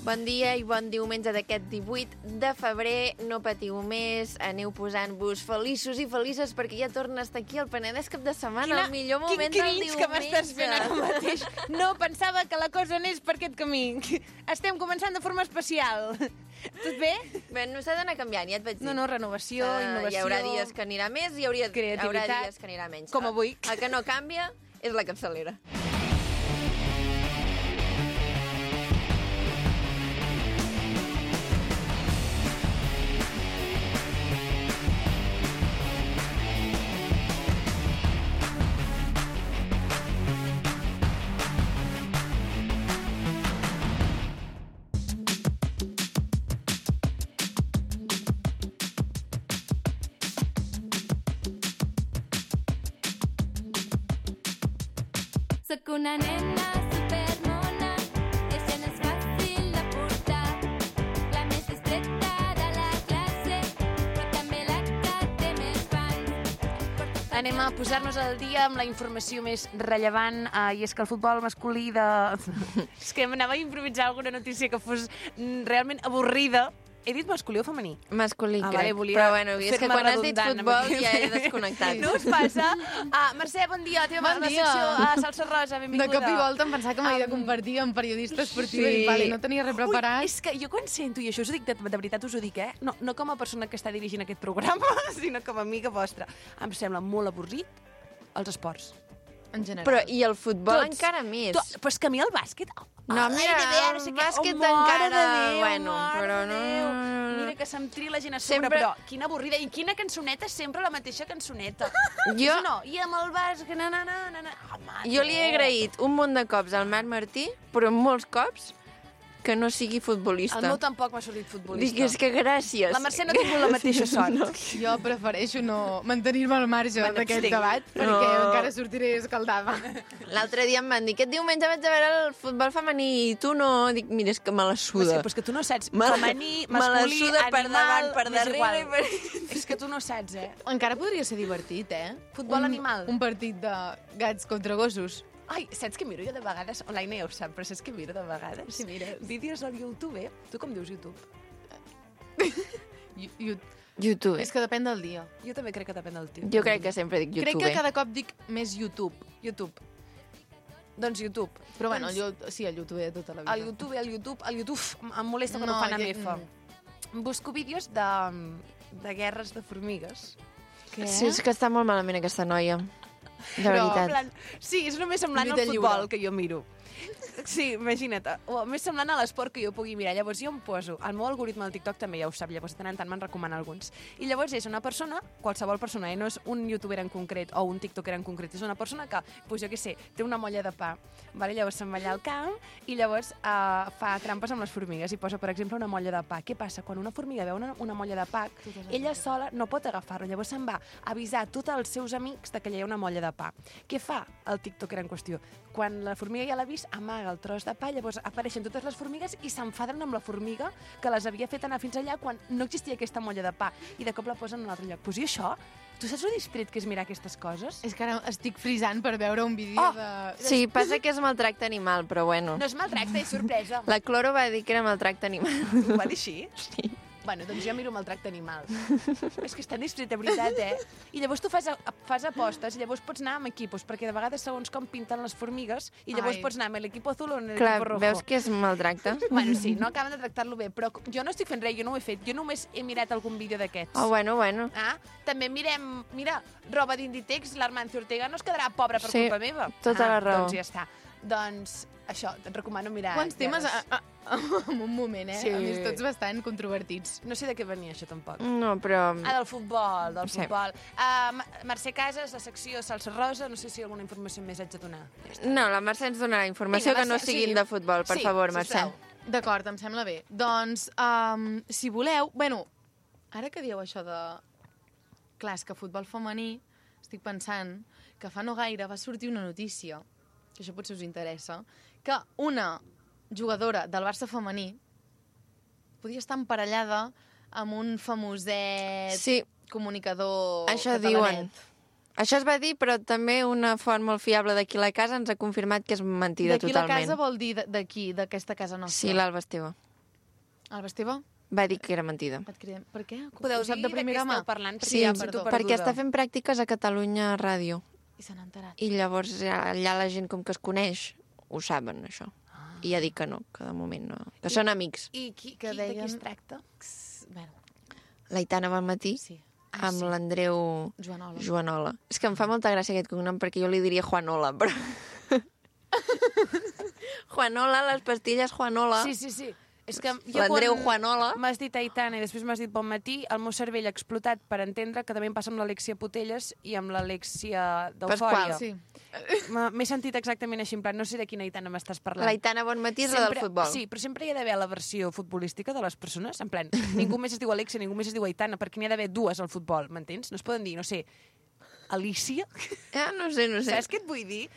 Bon dia i bon diumenge d'aquest 18 de febrer. No patiu més, aneu posant-vos feliços i felices perquè ja torna a estar aquí el Penedès cap de setmana, el millor moment del diumenge. Que m'estàs fent ara mateix. No pensava que la cosa anés per aquest camí. Estem començant de forma especial. Tot bé? Bé, no s'ha d'anar canviant, ja et vaig dir. No, renovació, innovació... Hi haurà dies que anirà més i haurà dies que anirà menys. Com avui. El que no canvia és la capçalera. Soc una nena supermona, que se n'és fàcil de portar. La més discreta de la classe, però també la que té més fans. Anem a posar-nos al dia amb la informació més rellevant, i és que el futbol masculí de... És que m'anava a improvisar alguna notícia que fos realment avorrida. He dit masculí o femení? Masculí, crec. Vale, volia però bueno, és que quan has dit futbol ja he desconnectat. No us passa? Mercè, bon dia. La secció a Salsa Rosa, benvinguda. De cop i volta em pensava que m'havia de compartir amb periodista esportiva i vale, no tenia res preparat. Ui, és que jo quan sento, i això us ho dic, de veritat us ho dic, no com a persona que està dirigint aquest programa, sinó com a amiga vostra, em sembla molt avorrit els esports. En general. Però i el futbol encara més. Però és que a mi el bàsquet... No, mira, el bàsquet encara... Bueno, però no... Mira que se'm tria la gent a sobre, però quina avorrida. I quina cançoneta, sempre la mateixa cançoneta. Jo... No, i amb el bàsquet... Jo li he agraït un munt de cops al Marc Martí, però molts cops que no sigui futbolista. El meu tampoc m'ha sortit futbolista. Dic, és que gràcies. La Mercè no ha tingut la mateixa sort. No. Jo prefereixo no mantenir-me al marge d'aquest debat, perquè encara sortiré escaldada. L'altre dia em van dir, aquest diumenge vaig a veure el futbol femení i tu no. Dic, mira, és que me la suda. Però és que tu no saps femení, masculí, animal... per davant, per darrere. És que tu no saps, Encara podria ser divertit, Futbol animal. Un partit de gats contra gossos. Ai, saps què miro jo de vegades? L'Aina ja ho sap, però saps què miro de vegades? Sí, mires. Vídeos al YouTube, Tu com dius YouTube? YouTube. És que depèn del dia. Jo també crec que depèn del tio. Jo crec que sempre dic YouTube. Crec que cada cop dic més YouTube. YouTube. Doncs YouTube. Però bueno, sí, el YouTube de tota la vida. El YouTube em molesta quan ho fan amb F. Busco vídeos de guerres de formigues. Què? Sí, és que està molt malament aquesta noia. De veritat. Sí, és només semblant al futbol que jo miro. Sí, imagina't. O més semblant a l'esport que jo pugui mirar. Llavors jo em poso... El meu algoritme del TikTok també ja ho sap, llavors de tant en tant me'n recomana alguns. I llavors és una persona, qualsevol persona, no és un youtuber en concret o un tiktoker en concret, és una persona que, doncs jo què sé, té una molla de pa, vale? Llavors se'n va allà al camp i llavors fa trampes amb les formigues i posa, per exemple, una molla de pa. Què passa? Quan una formiga veu una molla de pa, ella sola no pot agafar-lo, llavors se'n va avisar a tots els seus amics de que hi ha una molla de pa. Què fa el tiktoker en qüestió? Quan la formiga ja l'ha vist, amaga el tros de pa, llavors apareixen totes les formigues i s'enfaden amb la formiga que les havia fet anar fins allà quan no existia aquesta molla de pa i de cop la posen en un altre lloc. Pues i això? Tu saps lo distret que és mirar aquestes coses? És que ara estic frisant per veure un vídeo de... Sí, passa que és maltracte animal, però bueno. No és maltracte, és sorpresa. La Cloro va dir que era maltracte animal. Ho va dir així? Sí. Bueno, doncs jo miro maltracte animal. És que és tan distret, de veritat, I llavors tu fas apostes i llavors pots anar amb equipos, perquè de vegades segons com pinten les formigues i llavors pots anar amb l'equip azul o amb l'equip rojo. Clar, veus que és maltracte? Bueno, sí, no acaben de tractar-lo bé, però jo no estic fent res, jo no ho he fet. Jo només he mirat algun vídeo d'aquests. Oh, bueno. També mirem, mira, roba d'Inditex, l'Armancio Ortega no es quedarà pobra per culpa meva. Tota la raó. Doncs ja està. Doncs això, et recomano mirar... Quants temes en un moment, Sí. A més, tots bastant controvertits. No sé de què venia això, tampoc. No, però... Del futbol, futbol. Mercè Casas, la secció Salsa Rosa, no sé si alguna informació més haig de donar. No, la Mercè ens donarà informació que no siguin de futbol, per favor, Mercè. D'acord, em sembla bé. Doncs, si voleu... Bueno, ara que dieu això de... Clar, és que futbol femení, estic pensant que fa no gaire va sortir una notícia, que això potser us interessa, que una jugadora del Barça femení podia estar emparellada amb un famoset comunicador això catalanet. Diuen. Això es va dir, però també una font molt fiable d'aquí a la casa ens ha confirmat que és mentida totalment. D'aquí la casa vol dir d'aquí, d'aquesta casa nostra? Sí, l'Alba Esteve. Alba Esteve, Va dir que era mentida. et cridem. Per què? Podeu Ho sap dir de primera mà? esteu parlant? Sí, ja, perdó. perquè està fent pràctiques a Catalunya Ràdio. I se n'ha enterat. I llavors allà la gent com que es coneix ho saben, això. I ja dic que no, que de moment no. Que són amics. I de qui deien- es tracta? Bueno, L'Aitana Bonmatí sí. amb l'Andreu Joanola. Joanola. És que em fa molta gràcia aquest cognom perquè jo li diria Juanola, però... Juanola, les pastilles Juanola. Sí. És que jo L'Andreu quan Juanola. m'has dit Aitana i després m'has dit Bon Matí, el meu cervell ha explotat per entendre que també em passa amb l'Alexia Putelles i amb l'Alexia d'Eufòria. Pasqual. Sí. M'he sentit exactament així, en plan, no sé de quina Aitana m'estàs parlant. L'Aitana Bonmatí és la del futbol. Sí, però sempre hi ha d'haver la versió futbolística de les persones, en plan, ningú més es diu Alexia, ningú més es diu Aitana, perquè n'hi ha d'haver dues al futbol, m'entens? No es poden dir, no sé, Alicia? No sé. Saps què et vull dir?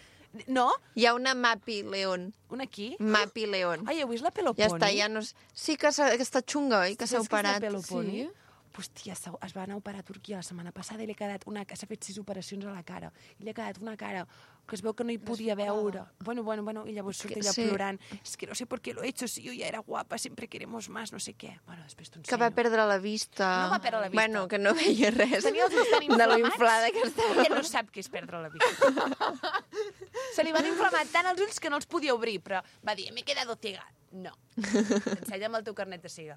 No? Hi ha una Mapi León. Una aquí? Mapi León. Ai, heu vist la Peloponi? Ja està, ja no... Sí que està xunga, oi? Que s'ha operat. Saps què és la Peloponi? Sí. Hòstia, es va anar a operar a Turquia la setmana passada i li ha quedat s'ha fet 6 operacions a la cara. I li ha quedat una cara que es veu que no hi podia veure. Bueno, i llavors surt ella plorant. És que no sé por qué lo he hecho, si yo ya era guapa, siempre queremos más, no sé què. Bueno, després t'ho ensenyo. Que va perdre la vista. No va perdre la vista. Bueno, que no veia res. Tenia els ulls tan De lo inflamats. inflada que estava. Ella no sap què és perdre la vista. Se li van inflamar tant els ulls que no els podia obrir, però va dir, m'he quedado ciega. No. Ensenya'm el teu carnet de ciega.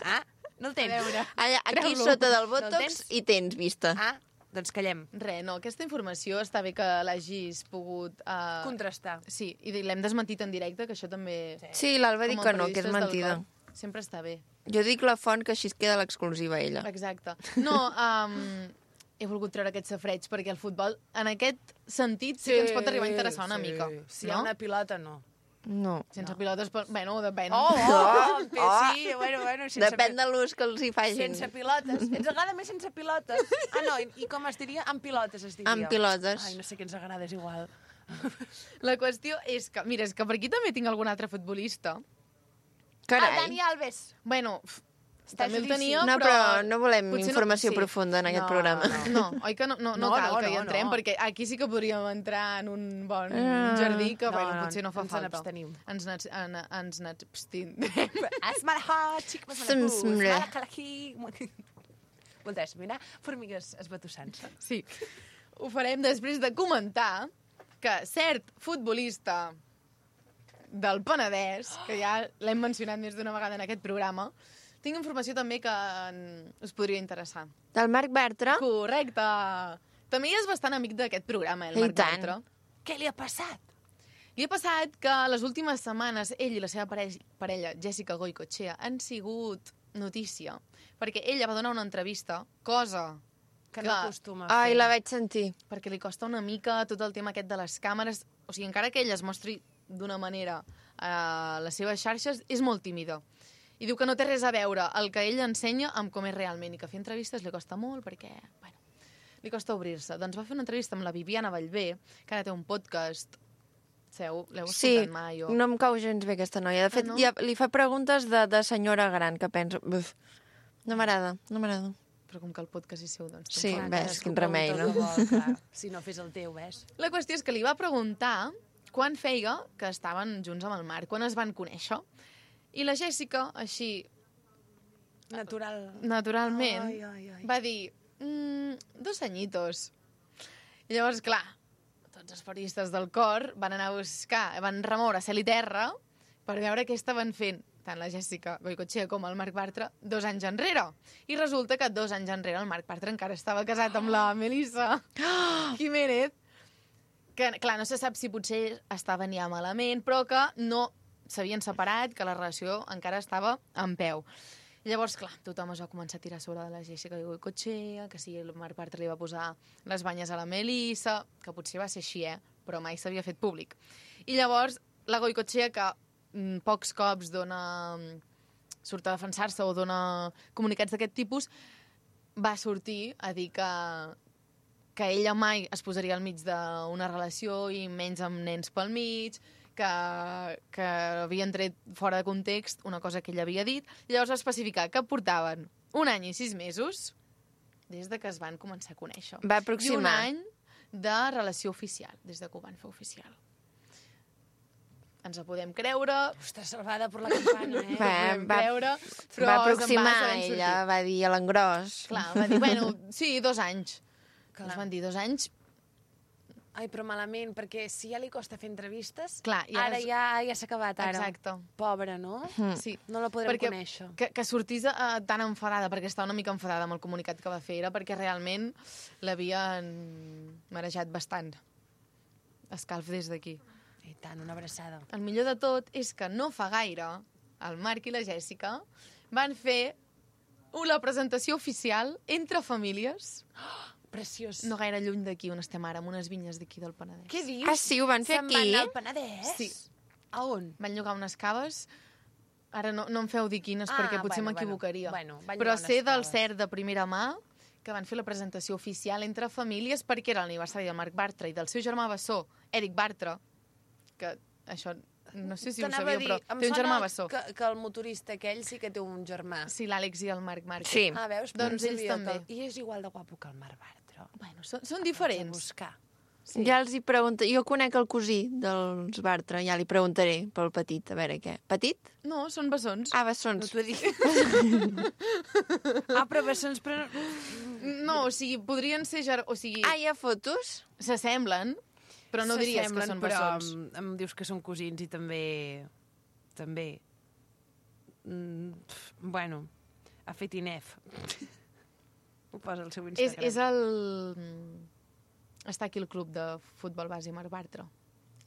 Ah? No el tens? Allà, aquí Treu-lo. sota del No el Botox tens? hi tens vista. Ah, doncs callem. No, aquesta informació està bé que l'hagis pogut... Contrastar. Sí, i l'hem desmentit en directe, que això també... Sí, l'Alba diu com a que no, que és periodistes del mentida. cor, sempre està bé. Jo dic la font, que així es queda l'exclusiva ella. Exacte. No, he volgut treure aquest safreig, perquè el futbol, en aquest sentit, sí que ens pot arribar a interessar una mica. Si hi ha una pilota, no. No. Sense pilotes, bueno, depèn. Sí, bueno, sense Depèn de l'ús que els hi facin. Sense pilotes. Ens agrada més sense pilotes? Ah, no, i com es diria? Amb pilotes es diria. Amb pilotes. Ai, no sé què ens agrada, és igual. La qüestió és que, mira, és que per aquí també tinc algun altre futbolista. El Carai. Dani Alves. Bueno, Està també el judici. tenia, No, però no volem potser informació sí. profunda en aquest No, programa. No, oi que no cal que hi no, entrem, no. perquè aquí sí que podríem entrar en un bon jardí que, bueno, potser no fa ens falta. n'abstenim. Ens n'abstenim. Asmalha, xic, Moltes, mira, formigues esbatussant. Sí. Ho farem després de comentar que cert futbolista del Penedès, que ja l'hem mencionat més d'una vegada en aquest programa, tinc informació també que us podria interessar. Del Marc Bartra? Correcte! També és bastant amic d'aquest programa, el I Marc tant. Bartra. Què li ha passat? Li ha passat que les últimes setmanes ell i la seva parella, Jessica Goicoechea, han sigut notícia, perquè ella va donar una entrevista, cosa Que no acostuma a Ai, fer. la vaig sentir. perquè li costa una mica tot el tema aquest de les càmeres. O sigui, encara que ella es mostri d'una manera a les seves xarxes, és molt tímida. I diu que no té res a veure el que ella ensenya amb com és realment i que fer entrevistes li costa molt perquè, bueno, li costa obrir-se. Doncs va fer una entrevista amb la Viviana Vallvé, que ara té un podcast. L'heu Sí, escoltat mai? O... no em cau gens bé aquesta noia. De fet, no? ja li fa preguntes de senyora gran, que penso... Buf, no m'agrada. Però com que el podcast és seu, doncs... Sí, tampoc. ves, quin remei, no? Si no fes el teu, ves. La qüestió és que li va preguntar quan feia que estaven junts amb el Marc, quan es van conèixer. I la Jèssica, així, naturalment, va dir 2 añitos. I llavors, clar, tots els periodistes del cor van anar a buscar, van remoure cel i terra per veure què estaven fent tant la Jessica Goicoechea com el Marc Bartra 2 anys enrere. I resulta que 2 anys enrere el Marc Bartra encara estava casat amb la Melissa Jiménez, que, clar, no se sap si potser estaven ja malament, però que no s'havien separat, que la relació encara estava en peu. I llavors, clar, tothom es va començar a tirar sobre de la Jessica Goicoechea, que sí, el Marc Bartra li va posar les banyes a la Melissa, que potser va ser així, però mai s'havia fet públic. I llavors, la Goicoechea, que pocs cops surt a defensar-se o dona comunicats d'aquest tipus, va sortir a dir que ella mai es posaria al mig d'una relació i menys amb nens pel mig, que havien tret fora de context una cosa que ella havia dit, i llavors va especificar que portaven 1 any i 6 mesos des de que es van començar a conèixer. Va I 1 aproximar. any de relació oficial, des de que ho van fer oficial. ens la podem creure, Ostres, salvada per la campana, eh? Va però aproximar, sabent ella sortir. va dir a l'engròs. Clar, va dir, bueno, sí, 2 anys. Clar. Ens van dir 2 anys. Ai, però malament, perquè si ja li costa fer entrevistes, Clar, i ara ara ja s'ha acabat, ara. Exacte. Pobra, no? Sí. No la podrem Perquè conèixer. que sortís tan enfadada, perquè estava una mica enfadada amb el comunicat que va fer, era perquè realment l'havien marejat bastant. Escalf des d'aquí. I tant, una abraçada. El millor de tot és que no fa gaire el Marc i la Jèssica van fer la presentació oficial entre famílies, Preciós. no gaire lluny d'aquí on estem ara, amb unes vinyes d'aquí del Penedès. Què dius? Ah, sí, ho van fer Se'n aquí? van anar al Penedès? Sí. A on? Van llogar unes caves, ara no em feu dir quines perquè potser m'equivocaria. Bueno, van però llogar sé unes del caves. cert de primera mà que van fer la presentació oficial entre famílies perquè era l'aniversari del Marc Bartra i del seu germà bessó, Eric Bartra, que això no sé si ho T'anava a sabia, dir, però em té un sona germà bessó. que el motorista aquell sí que té un germà. Sí, l'Àlex i el Marc Márquez. Sí. Ah, veus? Doncs Però ells sabia també. I és igual de guapo que el Marc Bartra. Bueno, són Haig de diferents. buscar. Sí. Ja els hi pregunto. Jo conec el cosí dels Bartra, ja li preguntaré pel petit, a veure què. Petit? No, són bessons. Ah, No bessons. t'ho he dit. Però bessons, però... No, o sigui, podrien ser... O sigui, Ah, hi ha fotos? s'assemblen, però no diries que S'assemblen, són però bessons. em dius que són cosins i també... Bueno, ha fet Inef. Ho posa al seu Instagram. És el... Està aquí el club de futbol base Marc Bartra.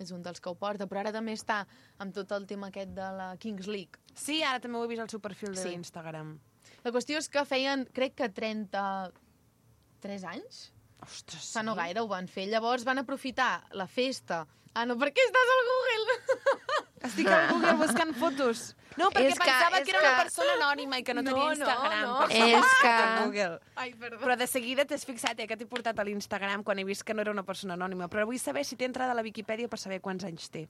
És un dels que ho porta, però ara també està amb tot el tema aquest de la Kings League. Sí, ara també ho he vist al seu perfil Sí. d'Instagram. La qüestió és que feien, crec que 33 anys? Ostres, Fa no gaire ho van fer. Llavors van aprofitar la festa. Ah, no, per què estàs al Google? Estic al Google buscant fotos. No, perquè És que- pensava és que era una que- persona anònima i que no tenia No, Instagram. no. Per això És ho he buscat que- a Google. Ai, perdó. Però de seguida t'has fixat, que t'he portat a l'Instagram quan he vist que no era una persona anònima. Però vull saber si té entrada a la Viquipèdia per saber quants anys té.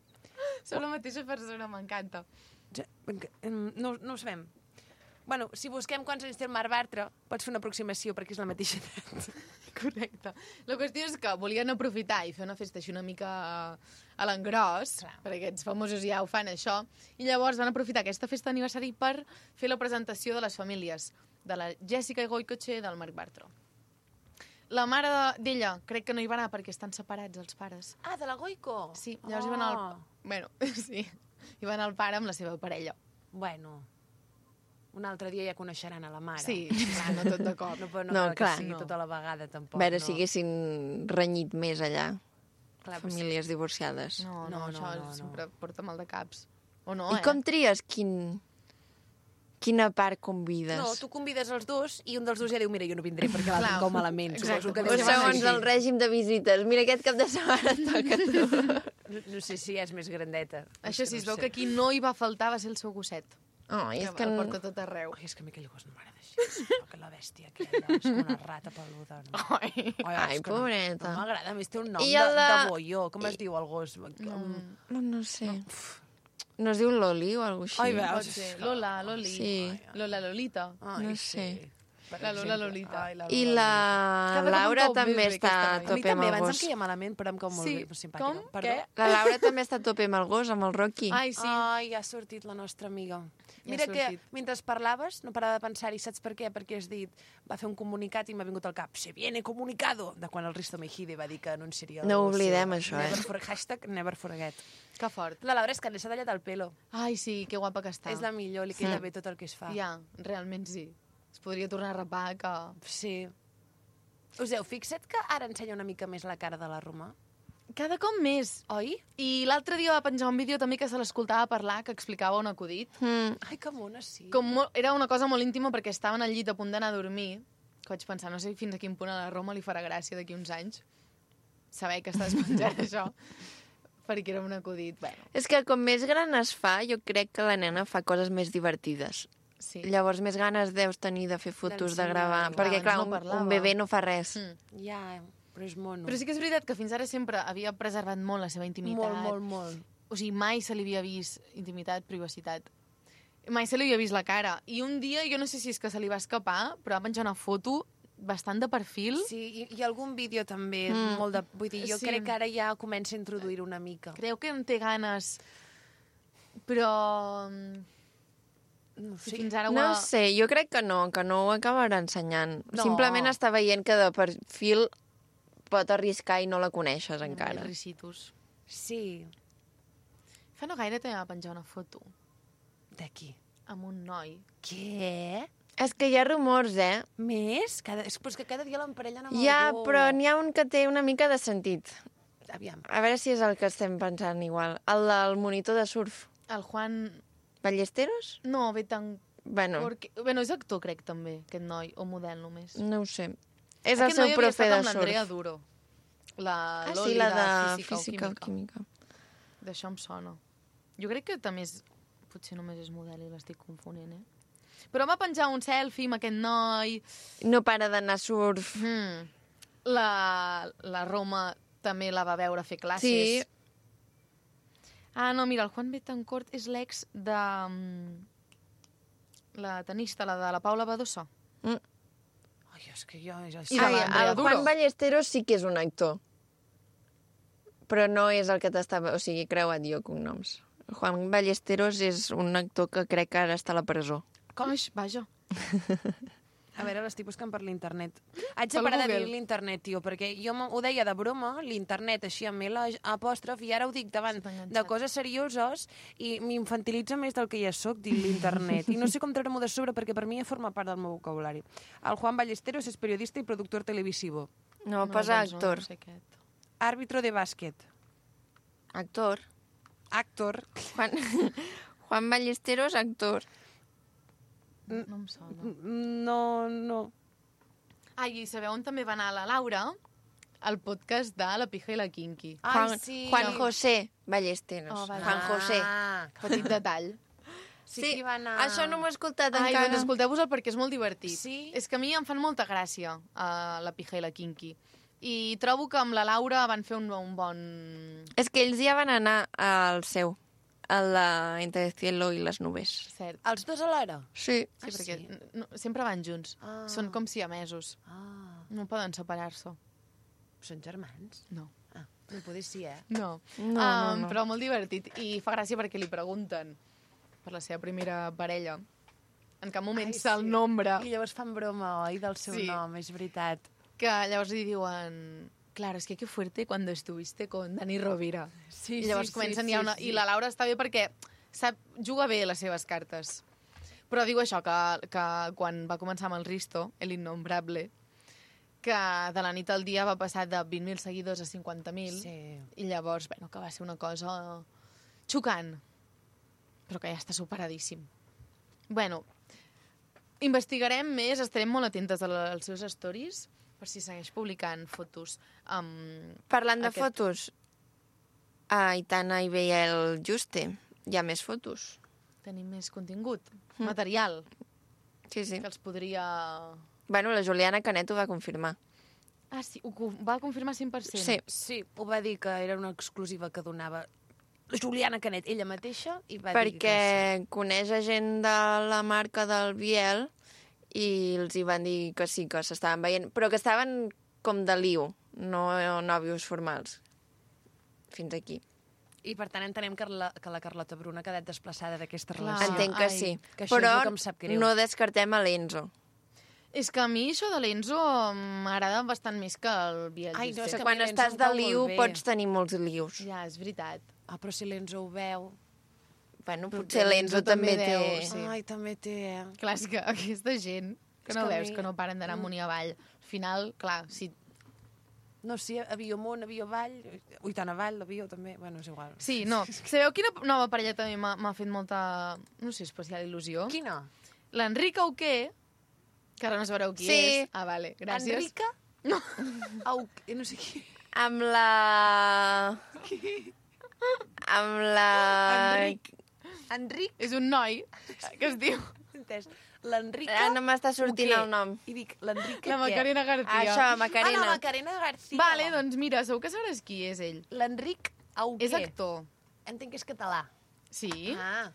Sou la mateixa persona, m'encanta. No ho sabem. Bueno, si busquem quants anys té el Marc Bartra, pots fer una aproximació perquè és la mateixa edat. Correcte. La qüestió és que volien aprofitar i fer una festa així una mica a l'engròs, perquè aquests famosos ja ho fan, això, i llavors van aprofitar aquesta festa d'aniversari per fer la presentació de les famílies, de la Jèssica Goicoechea i del Marc Bartra. La mare d'ella crec que no hi va anar perquè estan separats els pares. Ah, de la Goico? Sí, llavors hi va anar el... Bueno, sí, hi va anar el pare amb la seva parella. Bueno, un altre dia ja coneixeran a la mare. Sí, clar, no tot de cop. No, però no, No, cal clar. que sigui No. tota la vegada, tampoc. A veure no. si haguessin renyit més allà. Clar, però Famílies divorciades. No, No, això no. sempre porta mal de caps. O no, I com tries quina part convides? No, tu convides els dos i un dels dos ja diu, mira, jo no vindré perquè l'altre Clar, em cau malament. exacte. Suposo que O deu ser segons així. el règim de visites. Mira, aquest cap de setmana et toca a tu. No sé si és més grandeta. Això sí, no es veu sé. que aquí no hi va faltar, va ser el seu gosset. Oh, és que... el porta tot arreu. Ai, és que a mi aquell gos no m'agrada així. Que la bèstia aquella, és com una rata peluda. No? Ai. Ai, és que pobreta. No m'agrada, a més té un nom I de, el de- de boió. Com es diu el gos? No sé. No es diu Loli o alguna cosa Ai, així? veus? Pot ser Lola, Loli, Sí. Lola, Lolita. Ai, No sí. sé. Per La Lola exemple. Lolita. Ai, la I Lola la Cada cop Laura em cau també més bé està aquesta a noia. A mi tope amb també, el abans em gos. queia malament, però em cau molt Sí. bé, simpàtica. Com? Perdó. Què? La Laura també està a tope amb el gos, amb el Rocky. Ai, sí. Ai, ha sortit la nostra amiga. Ja Mira ha que sortit. mentre parlaves no parava de pensar-hi, saps per què? Perquè has dit, va fer un comunicat i m'ha vingut al cap, se viene comunicado, de quan el Risto Mejide va dir que anunciaria... No el oblidem seu- això, eh? Hashtag never forget. Que fort. La Laura és que li s'ha tallat el pelo. Ai, sí, que guapa que està. És la millor, li queda bé tot el que es fa. Ja, realment sí. Es podria tornar a rapar que... Sí. Us heu fixat que ara ensenya una mica més la cara de la Roma? Cada cop més. Oi? I l'altre dia va penjar un vídeo també que se l'escoltava parlar, que explicava un acudit. Ai, que mona, sí. Era una cosa molt íntima perquè estaven al llit a punt d'anar a dormir, que vaig pensar, no sé fins a quin punt a la Roma li farà gràcia d'aquí uns anys saber que estàs penjant això, perquè era un acudit. Bueno, És que com més gran es fa, jo crec que la nena fa coses més divertides. sí. Llavors més ganes deus tenir de fer fotos, de D'ensenyar, gravar. clar, Perquè, abans clar, no un parlava. bebè no fa res. Ja, però és mono. Però sí que és veritat que fins ara sempre havia preservat molt la seva intimitat. molt. O sigui, mai se li havia vist intimitat, privacitat. Mai se li havia vist la cara. I un dia, jo no sé si és que se li va escapar, però va penjar una foto bastant de perfil. Sí, i algun vídeo també, molt de... Vull dir, jo Sí. crec que ara ja comença a introduir una mica. Creu que en té ganes Però... No Si sé. fins ara No sé, jo crec que no ho acabarà ensenyant. No. Simplement està veient que de perfil pot arriscar i no la coneixes encara. Ricitos. Sí. Fa no gaire també va penjar una foto De qui? amb un noi. Què? És que hi ha rumors, Més? Però és que cada dia l'emparellen amb Ja, algú. però n'hi ha un que té una mica de sentit. Aviam. A veure si és el que estem pensant igual. El del monitor de surf. El Juan... Ballesteros? No, ve tan... Bueno, Bueno, és actor, crec, també, aquest noi, o model només. no ho sé. És el Aquest seu noi havia profe estat de amb l'Andrea surf. Duro. La Ah, Loli sí, la de Física Física o o Química. Química. D'això em sona. Jo crec que també és... Potser només és model i l'estic confonent, Però va penjar un selfie amb aquest noi. No para d'anar a surf. La Roma també la va veure fer classes. Sí. Ah, no, mira, el Juan Betancourt és l'ex de... la tenista, la de la Paula Badosa. Ai, és que jo... I de Ai, l'Andrea el Duro. Juan Ballesteros sí que és un actor. Però no és el que t'estava... O sigui, creuat jo cognoms. Juan Ballesteros és un actor que crec que ara està a la presó. Coix, vaja. A veure, l'estic buscant per l'internet. Haig de Pel parar de Google. dir l'internet, tio, perquè jo ho deia de broma, l'internet, així amb l'apòstrof, i ara ho dic davant Està enganxat. de coses serioses i m'infantilitza més del que ja sóc, dir l'internet. I no sé com treure-m'ho de sobre, perquè per mi ja forma part del meu vocabulari. El Juan Ballesteros és periodista i productor televisivo. No, posa doncs actor. No sé aquest. Àrbitro de bàsquet. Actor. Actor. Juan Ballesteros, actor. No em sona. No. Ai, i sabeu on també va anar la Laura? Al podcast de La Pija i la Kinky. Juan, sí. Juan José Ballesteros. Oh, vale. Juan José. Petit detall. Sí, que hi va anar... Això no m'ho he escoltat Ai, encara. doncs escolteu-vos-el perquè és molt divertit. Sí? És que a mi em fan molta gràcia La Pija i la Kinky. I trobo que amb la Laura van fer un bon... És que ells ja van anar al seu, a la Entre el cielo i les nubes. Cert. Els dos alhora? Sí. Sí, Ah, perquè sí? no, sempre van junts. Ah. Són com siamesos. Ah, No poden separar-se. són germans? No. Ah, no poder sí, No. No. Però molt divertit. I fa gràcia perquè li pregunten per la seva primera parella. En cap moment se'l nombra. I llavors fan broma, oi, del seu Sí. nom, és veritat. Que llavors li diuen... Claro, es que qué fuerte cuando estuviste con Dani Rovira. Sí, I llavors comencen ja una... I la Laura està bé perquè juga bé les seves cartes. Però diu això, que quan va començar amb el Risto, el innombrable, que de la nit al dia va passar de 20.000 seguidors a 50.000, Sí. i llavors, bueno, que va ser una cosa xocant, però que ja està superadíssim. Bueno, investigarem més, estarem molt atentes als seus stories, per si segueix publicant fotos amb... Parlant de Aquest- fotos, a Aitana i Biel Juste hi ha més fotos. Tenim més contingut, material, Sí, sí. que els podria... Bueno, la Juliana Canet ho va confirmar. Ah, sí, va confirmar 100%. Sí. Sí, ho va dir que era una exclusiva que donava Juliana Canet, ella mateixa, i va dir que Perquè coneix a gent de la marca del Biel i els hi van dir que sí, que s'estaven veient, però que estaven com de liu, no nòvios formals. Fins aquí. I per tant entenem que la Carlota Bruna ha quedat desplaçada d'aquesta Clar. relació. Entenc que ai, sí. que això és Però el que em sap greu. no descartem a l'Enzo. És que a mi això de l'Enzo m'agrada bastant més que el Biel Ai, no, és Juste. que Quan a mi l'Enzo estàs em de cau molt liu bé. pots tenir molts lius. Ja, és veritat. Ah, però si l'Enzo ho veu... Bueno, Però potser l'Enzo l'Enzo també també té... deu, sí. Ai, també té... Clar, és que aquesta gent que És no que a veus, mi- que no paren d'anar amunt i avall. Al final, clar, si... No, sí, avió amunt, avió avall, ui, tant avall, avió també, bueno, és igual. Sí, no. Sabeu quina nova parella també m'ha fet molta, no sé, especial il·lusió? Quina? L'Enric Auqué, que ara no sabreu qui Sí. és. Ah, vale, gràcies. Enrica? No. Au, no sé qui. Amb la... Amb la... Enric, És un noi que es diu entès. L'Enrica... Ah, no m'està sortint Auqué. el nom. I dic, l'Enrica la Macarena García. Això, Ah, Macarena. la Macarena García. Vale, doncs mira, segur que sabràs qui és ell. L'Enric Auqué. És actor. Entenc que és català. Sí? Ah.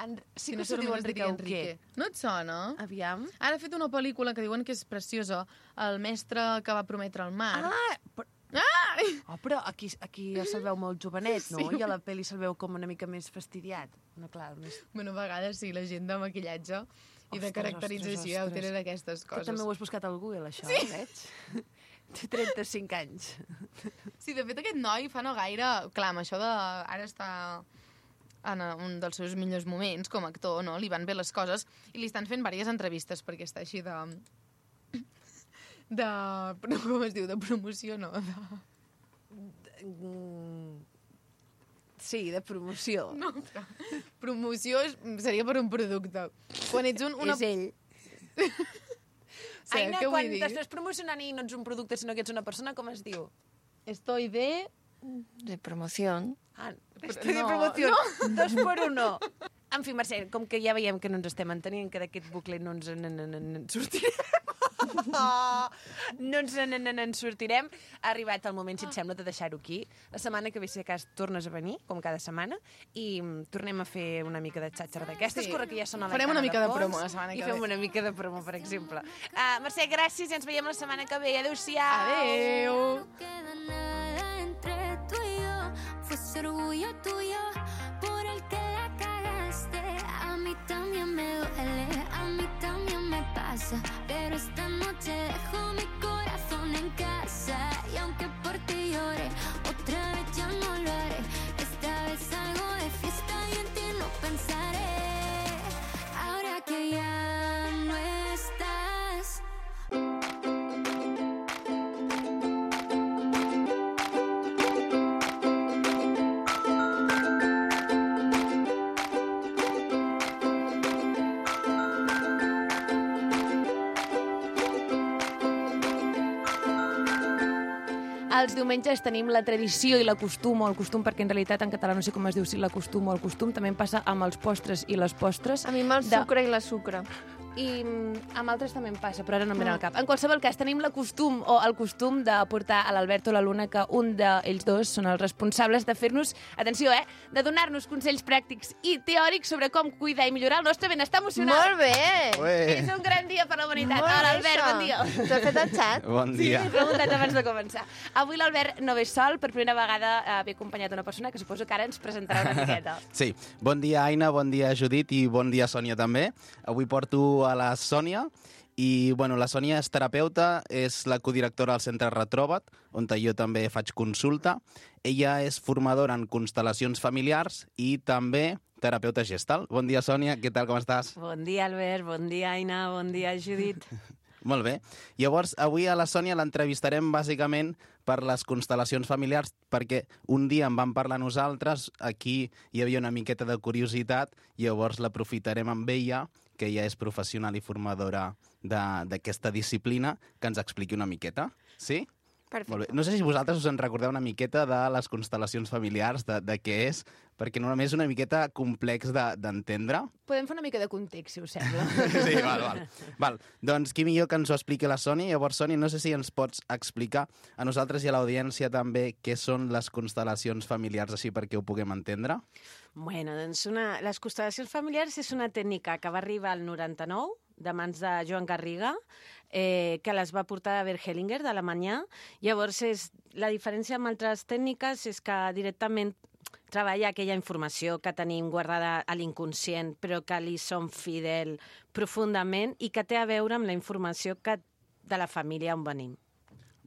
Sí Si que no se diu només es Enric diria Auqué. No et sona? Aviam. Ara ha fet una pel·lícula que diuen que és preciosa, El mestre que va prometre el mar. Ah, Oh, però aquí se'l veu molt jovenet, no? Sí. I a la pel·li se'l veu com una mica més fastidiat. No, clar, més... Bueno, a vegades sí, la gent de maquillatge i de Ostres, caracterització ostres. tenen aquestes Que coses. també ho has buscat al Google, això, sí. Veig? Té 35 anys. Sí, de fet, aquest noi fa no gaire... Clar, amb això de... Ara està en un dels seus millors moments com a actor, no? Li van bé les coses i li estan fent diverses entrevistes perquè està així de... com es diu? De promoció, no? Sí, de promoció. No, però promoció seria per un producte. Quan ets una... És ell. Sí, Aina, què vull quan dir? t'estàs promocionant i no ets un producte, sinó que ets una persona, com es diu? Estoy de... De promoción. Ah, Però estoy de no, promoció. 2 por 1. En fi, Mercè, com que ja veiem que no ens estem entenint, que d'aquest bucle no ens en sortirem. No ens en sortirem. Ha arribat el moment, si et sembla, de deixar-ho aquí. La setmana que ve, si de cas, tornes a venir, com cada setmana, i tornem a fer una mica de xatxara d'aquestes. Sí. Corre que ja sona la Farem cara una mica de fons, promo la setmana que I fem ve. una mica de promo, per exemple. Mercè, gràcies i ens veiem la setmana que ve. Adéu-siau. Adeu! No queda nada entre tú y yo. Fue ese orgullo tuyo por el que la cagaste. A mí también me duele, a mí también me pasa. Pero esta noche dejo mi corazón en casa. Y aunque por ti llore, otra vez ya no lo haré. Esta vez salgo de fiesta y en ti no pensaré. Ahora que ya no estás. Els diumenges tenim la tradició i la costum, o el costum, perquè en realitat en català no sé com es diu, si la costum o el costum, també em passa amb els postres i les postres. A mi amb el sucre i la sucre. I amb altres també em passa, però ara no em ve al cap. En qualsevol cas, tenim la costum o el costum de portar a l'Albert o la Luna, que un d'ells dos són els responsables de fer-nos, atenció, de donar-nos consells pràctics i teòrics sobre com cuidar i millorar el nostre benestar emocional. Molt bé! És un gran dia per la humanitat. Molt bé, Hola, Albert, això. bon dia. T'ho has fet el xat? Bon dia. He preguntat abans de començar. Avui l'Albert no ve sol, per primera vegada ve acompanyat d'una persona que suposo que ara ens presentarà una miqueta. Sí, bon dia Aina, bon dia Judit i bon dia Sònia també. Avui porto a la Sònia i bueno, la Sònia és terapeuta, és la codirectora del Centre Retrobat, on jo també faig consulta. Ella és formadora en constel·lacions familiars i també terapeuta gestal. Bon dia Sònia, què tal, com estàs? Bon dia, Albert. Bon dia, Aina. Bon dia, Judit. Molt bé. Llavors, avui a la Sònia l'entrevistarem bàsicament per les constel·lacions familiars, perquè un dia en vam parlar nosaltres, aquí hi havia una miqueta de curiositat, llavors l'aprofitarem amb ella, que ella és professional i formadora d'aquesta disciplina, que ens expliqui una miqueta. Sí? Perfecte. Molt bé. No sé si vosaltres us en recordeu una miqueta de les constel·lacions familiars, de què és, perquè normalment és una miqueta complex d'entendre. Podem fer una mica de context, si us sembla. Sí, val. Doncs qui millor que ens ho expliqui la Sònia. Llavors, Sònia, no sé si ens pots explicar a nosaltres i a l'audiència també què són les constel·lacions familiars, així perquè ho puguem entendre. Bueno, doncs les constel·lacions familiars és una tècnica que va arribar al 99, de mans de Joan Garriga, que les va portar a Bert Hellinger, d'Alemanya. Llavors, la diferència amb altres tècniques és que directament treballa aquella informació que tenim guardada a l'inconscient, però que li som fidel profundament i que té a veure amb la informació de la família on venim.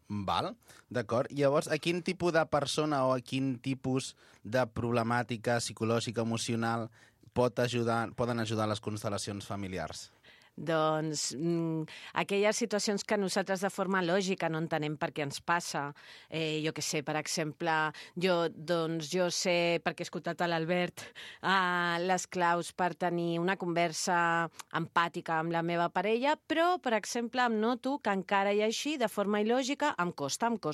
Val, d'acord. Llavors, a quin tipus de persona o a quin tipus de problemàtica psicològica, emocional poden ajudar les constel·lacions familiars? Doncs aquelles situacions que nosaltres de forma lògica no entenem per què ens passa. Jo què sé, per exemple, jo sé, perquè he escoltat a l'Albert, les claus per tenir una conversa empàtica amb la meva parella, però, per exemple, em noto que encara i així, de forma il·lògica, em costa. O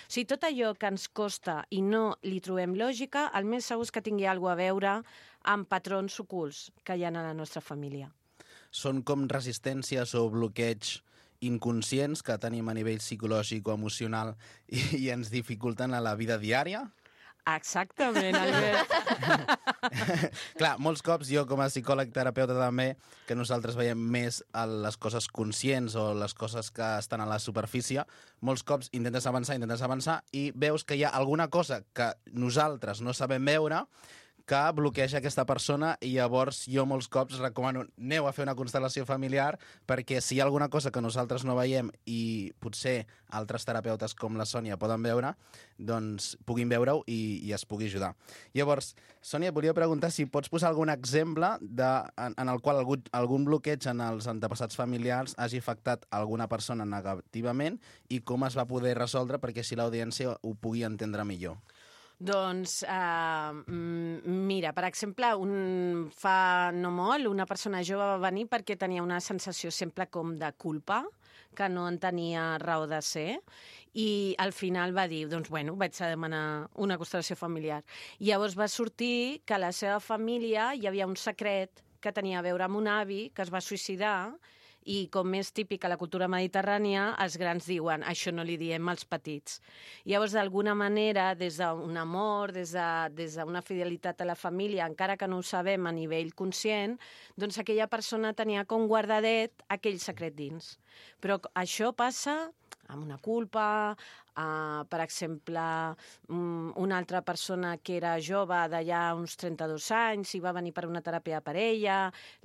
sigui, tot allò que ens costa i no li trobem lògica, el més segur és que tingui alguna cosa a veure amb patrons ocults que hi ha a la nostra família. Són com resistències o bloqueigs inconscients que tenim a nivell psicològic o emocional i ens dificulten a la vida diària? Exactament, Albert. Clar, molts cops jo com a psicòleg terapeuta també, que nosaltres veiem més a les coses conscients o les coses que estan a la superfície, molts cops intentes avançar i veus que hi ha alguna cosa que nosaltres no sabem veure que bloqueja aquesta persona i llavors jo molts cops recomano aneu a fer una constel·lació familiar perquè si hi ha alguna cosa que nosaltres no veiem i potser altres terapeutes com la Sònia poden veure, doncs puguin veure-ho i es pugui ajudar. Llavors, Sònia, et volia preguntar si pots posar algun exemple en el qual algun bloqueig en els antepassats familiars hagi afectat alguna persona negativament i com es va poder resoldre perquè així l'audiència ho pugui entendre millor. Doncs, mira, per exemple, fa no molt, una persona jove va venir perquè tenia una sensació sempre com de culpa, que no en tenia raó de ser, i al final va dir, doncs, bueno, vaig a demanar una constel·lació familiar. I llavors va sortir que a la seva família hi havia un secret que tenia a veure amb un avi que es va suïcidar i com és típic a la cultura mediterrània, els grans diuen això no li diem als petits. Llavors, d'alguna manera, des d'un amor, des d'una fidelitat a la família, encara que no ho sabem a nivell conscient, doncs aquella persona tenia com guardadet aquell secret dins. Però això passa amb una culpa, per exemple, una altra persona que era jove d'allà uns 32 anys i va venir per una teràpia de parella,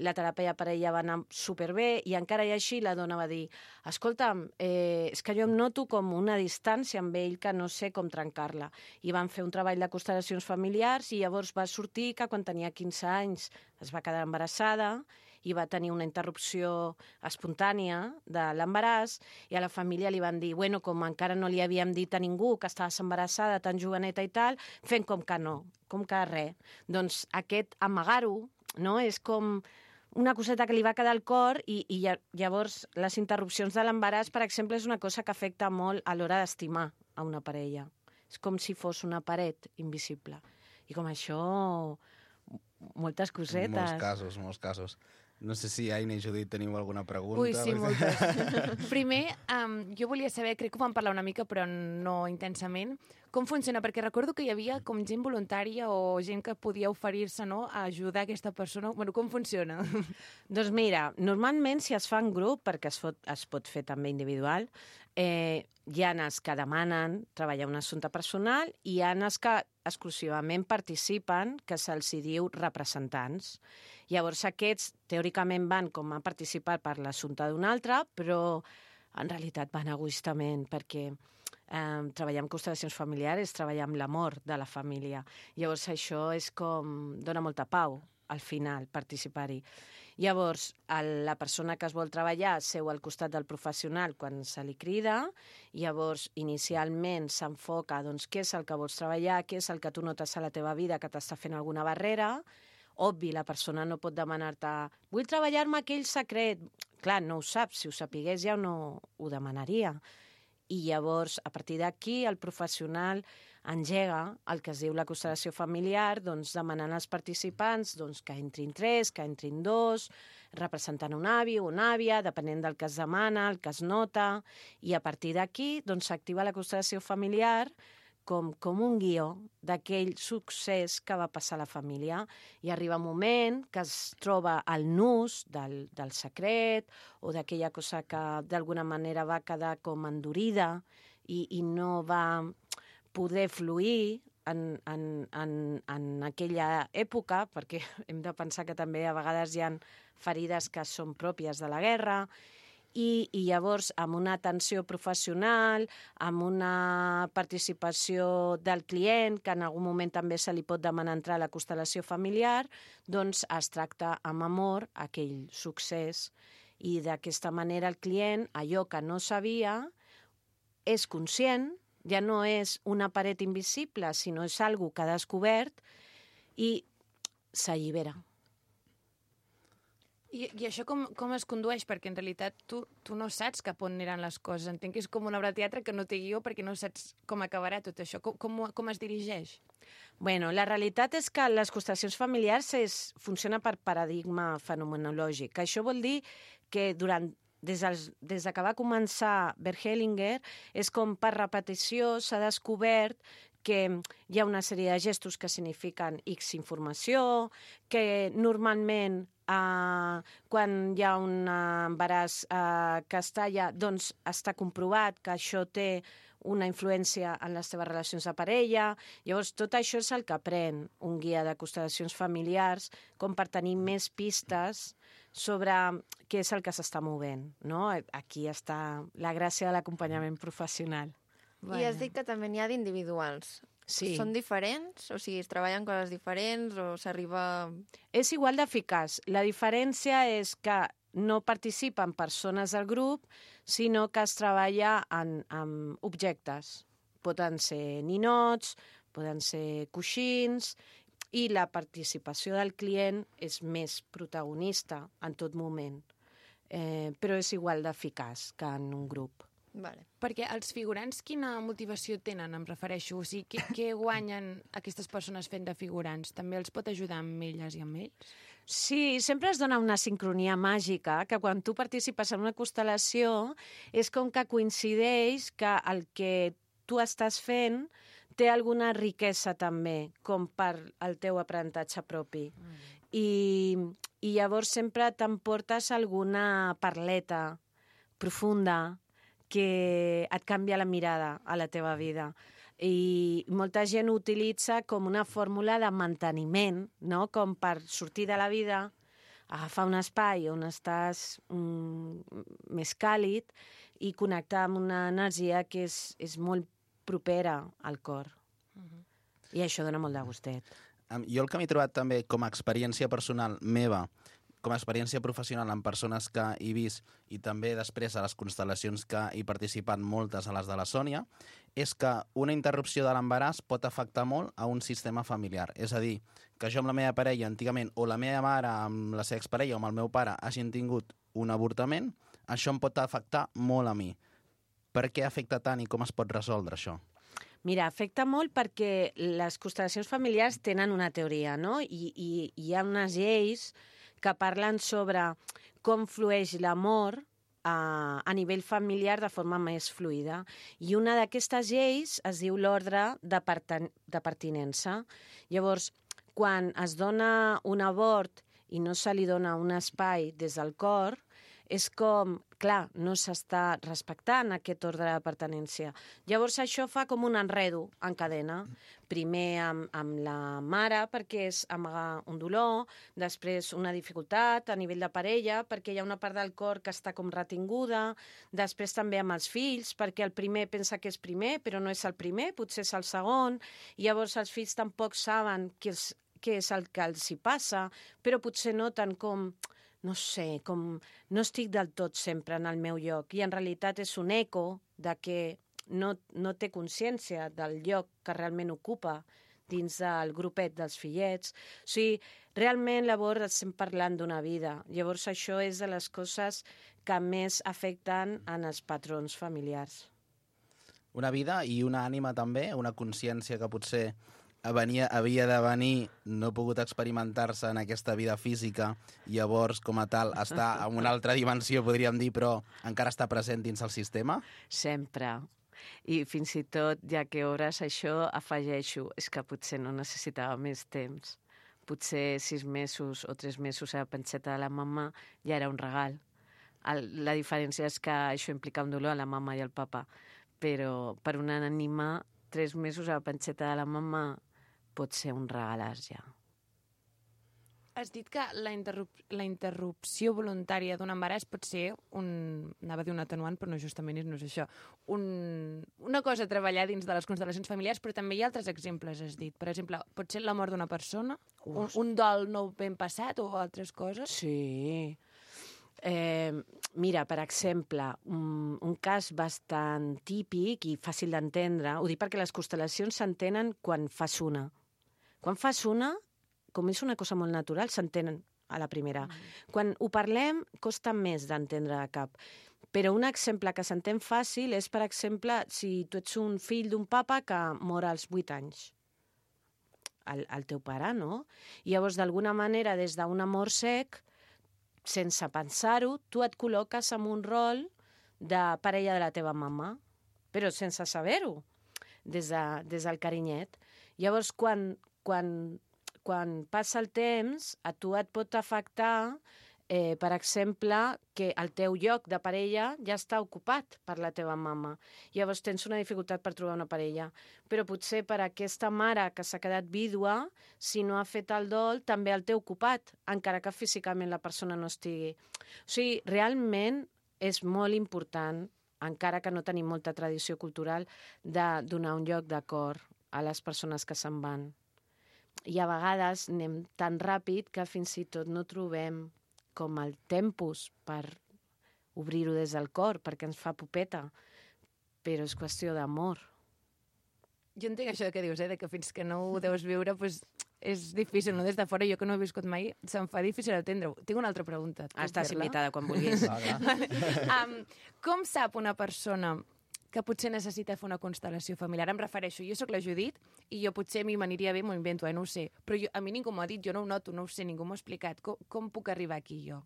la teràpia de parella va anar superbé i encara i així la dona va dir escolta'm, és que jo em noto com una distància amb ell que no sé com trencar-la. I van fer un treball de constel·lacions familiars i llavors va sortir que quan tenia 15 anys es va quedar embarassada i va tenir una interrupció espontània de l'embaràs i a la família li van dir, bueno, com encara no li havíem dit a ningú que estaves embarassada tan joveneta i tal, fent com que no, com que res. Doncs aquest amagar-ho, no?, és com una coseta que li va quedar al cor i llavors les interrupcions de l'embaràs, per exemple, és una cosa que afecta molt a l'hora d'estimar a una parella. És com si fos una paret invisible. I com això, moltes cosetes. Molts casos. No sé si Aina i Judit teniu alguna pregunta. Ui, sí, moltes. Primer, jo volia saber, crec que ho vam parlar una mica, però no intensament, com funciona, perquè recordo que hi havia com gent voluntària o gent que podia oferir-se, no?, a ajudar aquesta persona. Bueno, com funciona? Doncs mira, normalment si es fa en grup, perquè es pot fer també individual, hi ha els que demanen treballar un assumpte personal i hi ha els que exclusivament participen, que se'ls diu representants. Llavors aquests teòricament van com a participar per l'assumpte d'un altre, però en realitat van egoistament, perquè treballar amb constel·lacions familiars és treballar amb l'amor de la família. Llavors això és com dona molta pau al final participar-hi. Llavors, la persona que es vol treballar seu al costat del professional quan se li crida, llavors inicialment s'enfoca doncs, què és el que vols treballar, què és el que tu notes a la teva vida que t'està fent alguna barrera. Obvi, la persona no pot demanar-te vull treballar-me aquell secret. Clar, no ho sap, si ho sapigués ja no ho demanaria. I llavors, a partir d'aquí, el professional engega el que es diu la constel·lació familiar, doncs, demanant als participants doncs, que entrin 3, que entrin 2, representant un avi o una àvia, depenent del que es demana, el que es nota, i a partir d'aquí doncs, s'activa la constel·lació familiar com un guió d'aquell succés que va passar a la família. I arriba un moment que es troba el nus del secret o d'aquella cosa que d'alguna manera va quedar com endurida i no va poder fluir en aquella època, perquè hem de pensar que també a vegades hi ha ferides que són pròpies de la guerra, i llavors amb una atenció professional, amb una participació del client, que en algun moment també se li pot demanar entrar a la constel·lació familiar, doncs es tracta amb amor aquell succés. I d'aquesta manera el client, allò que no sabia, és conscient, ja no és una paret invisible, sinó és algo que ha descobert i s'allibera. I això com es condueix? Perquè en realitat tu no saps cap on aniran les coses. Entenc que és com una obra de teatre que no té guió perquè no saps com acabarà tot això. Com es dirigeix? Bueno, la realitat és que les constel·lacions familiars funciona per paradigma fenomenològic. Això vol dir que des que va començar Bert Hellinger és com per repetició s'ha descobert que hi ha una sèrie de gestos que signifiquen X informació, que normalment quan hi ha un embaràs que es talla, doncs està comprovat que això té una influència en les teves relacions de parella. Llavors, tot això és el que pren un guia de constel·lacions familiars, com per tenir més pistes sobre què és el que s'està movent, no? Aquí està la gràcia de l'acompanyament professional. I has dit que també n'hi ha d'individuals. Sí. Són diferents? O sigui, es treballen coses diferents o s'arriba... És igual d'eficaç. La diferència és que no participen persones del grup, sinó que es treballa amb objectes. Poden ser ninots, poden ser coixins, i la participació del client és més protagonista en tot moment. Però és igual d'eficaç que en un grup. Vale. Perquè els figurants quina motivació tenen, em refereixo? O sigui, què guanyen aquestes persones fent de figurants? També els pot ajudar amb elles i amb ells? Sí, sempre es dona una sincronia màgica, que quan tu participes en una constel·lació és com que coincideix que el que tu estàs fent té alguna riquesa també, com per al teu aprenentatge propi. I llavors sempre t'emportes alguna parleta profunda que et canvia la mirada a la teva vida. I molta gent ho utilitza com una fórmula de manteniment, no? Com per sortir de la vida, agafar un espai on estàs més càlid i connectar amb una energia que és molt propera al cor. I això dona molt de gustet. Jo el que m'he trobat també com a experiència personal meva, com a experiència professional amb persones que he vist i també després a les constel·lacions que he participat moltes a les de la Sònia, és que una interrupció de l'embaràs pot afectar molt a un sistema familiar. És a dir, que jo amb la meva parella antigament o la meva mare amb la seva exparella o amb el meu pare hagin tingut un avortament, això em pot afectar molt a mi. Per què afecta tant i com es pot resoldre això? Mira, afecta molt perquè les constel·lacions familiars tenen una teoria, no? I hi ha unes lleis que parlen sobre com flueix l'amor a nivell familiar de forma més fluida. I una d'aquestes lleis es diu l'ordre de pertinença. Llavors, quan es dona un abort i no se li dona un espai des del cor, és com, clar, no s'està respectant aquest ordre de pertinència. Llavors això fa com un enredo en cadena. Primer amb la mare, perquè és amagar un dolor, després una dificultat a nivell de parella, perquè hi ha una part del cor que està com retinguda, després també amb els fills, perquè el primer pensa que és primer, però no és el primer, potser és el segon, i llavors els fills tampoc saben què és el que els hi passa, però potser noten com... no sé, com no estic del tot sempre en el meu lloc i en realitat és un eco de que no té consciència del lloc que realment ocupa dins del grupet dels fillets. O sigui, realment llavors estem parlant d'una vida. Llavors això és de les coses que més afecten en els patrons familiars. Una vida i una ànima també, una consciència que potser havia de venir, no ha pogut experimentar-se en aquesta vida física, i llavors, com a tal, està en una altra dimensió, podríem dir, però encara està present dins el sistema? Sempre. I fins i tot, ja que obres això, afegeixo, és que potser no necessitava més temps. Potser 6 mesos o 3 mesos a la panxeta de la mama ja era un regal. La diferència és que això implica un dolor a la mama i al papa, però per una ànima, 3 mesos a la panxeta de la mama pot ser un regalàs ja. Has dit que la interrupció voluntària d'un embaràs pot ser anava a dir un atenuant, però no, justament no és això. Una cosa a treballar dins de les constel·lacions familiars, però també hi ha altres exemples, has dit. Per exemple, pot ser la mort d'una persona, un dol no ben passat o altres coses? Sí. Mira, per exemple, un cas bastant típic i fàcil d'entendre, ho dic perquè les constel·lacions s'entenen quan fas una. Quan fas una, com és una cosa molt natural, s'entenen a la primera. Quan ho parlem, costa més d'entendre de cap. Però un exemple que s'entén fàcil és, per exemple, si tu ets un fill d'un papa que mor als 8 anys. El teu pare, no? I llavors, d'alguna manera, des d'un amor sec, sense pensar-ho, tu et col·loques en un rol de parella de la teva mama, però sense saber-ho. des del carinyet. Llavors, quan passa el temps, a tu et pot afectar, per exemple, que el teu lloc de parella ja està ocupat per la teva mama. Llavors tens una dificultat per trobar una parella. Però potser per aquesta mare que s'ha quedat vídua, si no ha fet el dol, també el té ocupat, encara que físicament la persona no estigui. O sigui, realment és molt important, encara que no tenim molta tradició cultural, de donar un lloc d'acord a les persones que se'n van. I a vegades anem tan ràpid que fins i tot no trobem com el tempus per obrir-ho des del cor, perquè ens fa pupeta, però és qüestió d'amor. Jo entenc això que dius, de que fins que no ho deus viure, pues, és difícil, no? Des de fora, jo que no ho he viscut mai, se'm fa difícil entendre-ho. Tinc una altra pregunta. Estàs invitada quan vulguis. Com sap una persona que potser necessita fer una constel·lació familiar? Em refereixo, jo sóc la Judit i jo potser a mi m'aniria bé, m'ho invento, no ho sé. Però a mi ningú m'ho ha dit, jo no ho noto, no ho sé, ningú m'ho ha explicat. Com puc arribar aquí jo?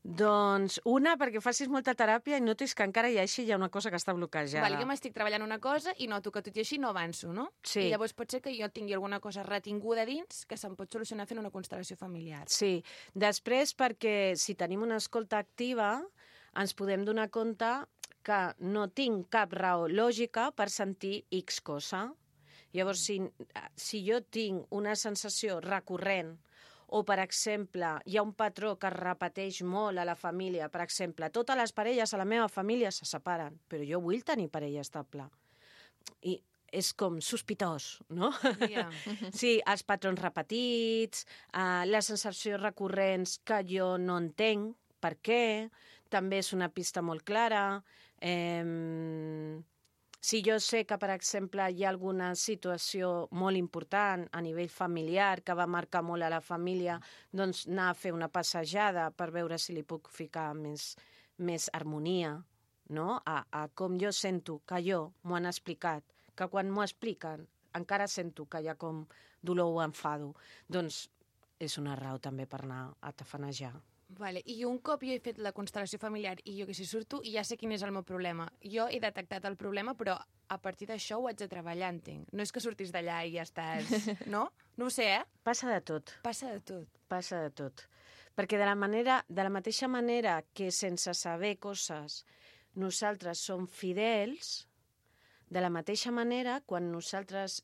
Doncs una, perquè facis molta teràpia i notis que encara hi ha una cosa que està bloquejada. Val, jo m'estic treballant una cosa i noto que tot i així no avanço, no? Sí. I llavors pot ser que jo tingui alguna cosa retinguda dins que se'm pot solucionar fent una constel·lació familiar. Sí. Després, perquè si tenim una escolta activa, ens podem donar compte que no tinc cap raó lògica per sentir X cosa. Llavors, si jo tinc una sensació recurrent o, per exemple, hi ha un patró que es repeteix molt a la família, per exemple, totes les parelles a la meva família se separen, però jo vull tenir parella estable. I és com sospitós, no? Yeah. Sí, els patrons repetits, les sensacions recurrents que jo no entenc, per què, també és una pista molt clara. Si jo sé que, per exemple, hi ha alguna situació molt important a nivell familiar que va marcar molt a la família, doncs anar a fer una passejada per veure si li puc ficar més harmonia, no? A com jo sento que m'ho han explicat, que quan m'ho expliquen encara sento que hi ha com dolor o enfado. Doncs és una raó també per anar a tafanejar. Vale. I un cop jo he fet la constel·lació familiar i jo que si surto i ja sé quin és el meu problema. Jo he detectat el problema, però a partir d'això ho haig de treballar, entenc. No és que surtis d'allà i ja estàs... No? No ho sé, Passa de tot. Passa de tot. Passa de tot. Perquè de la mateixa manera que sense saber coses nosaltres som fidels, de la mateixa manera, quan nosaltres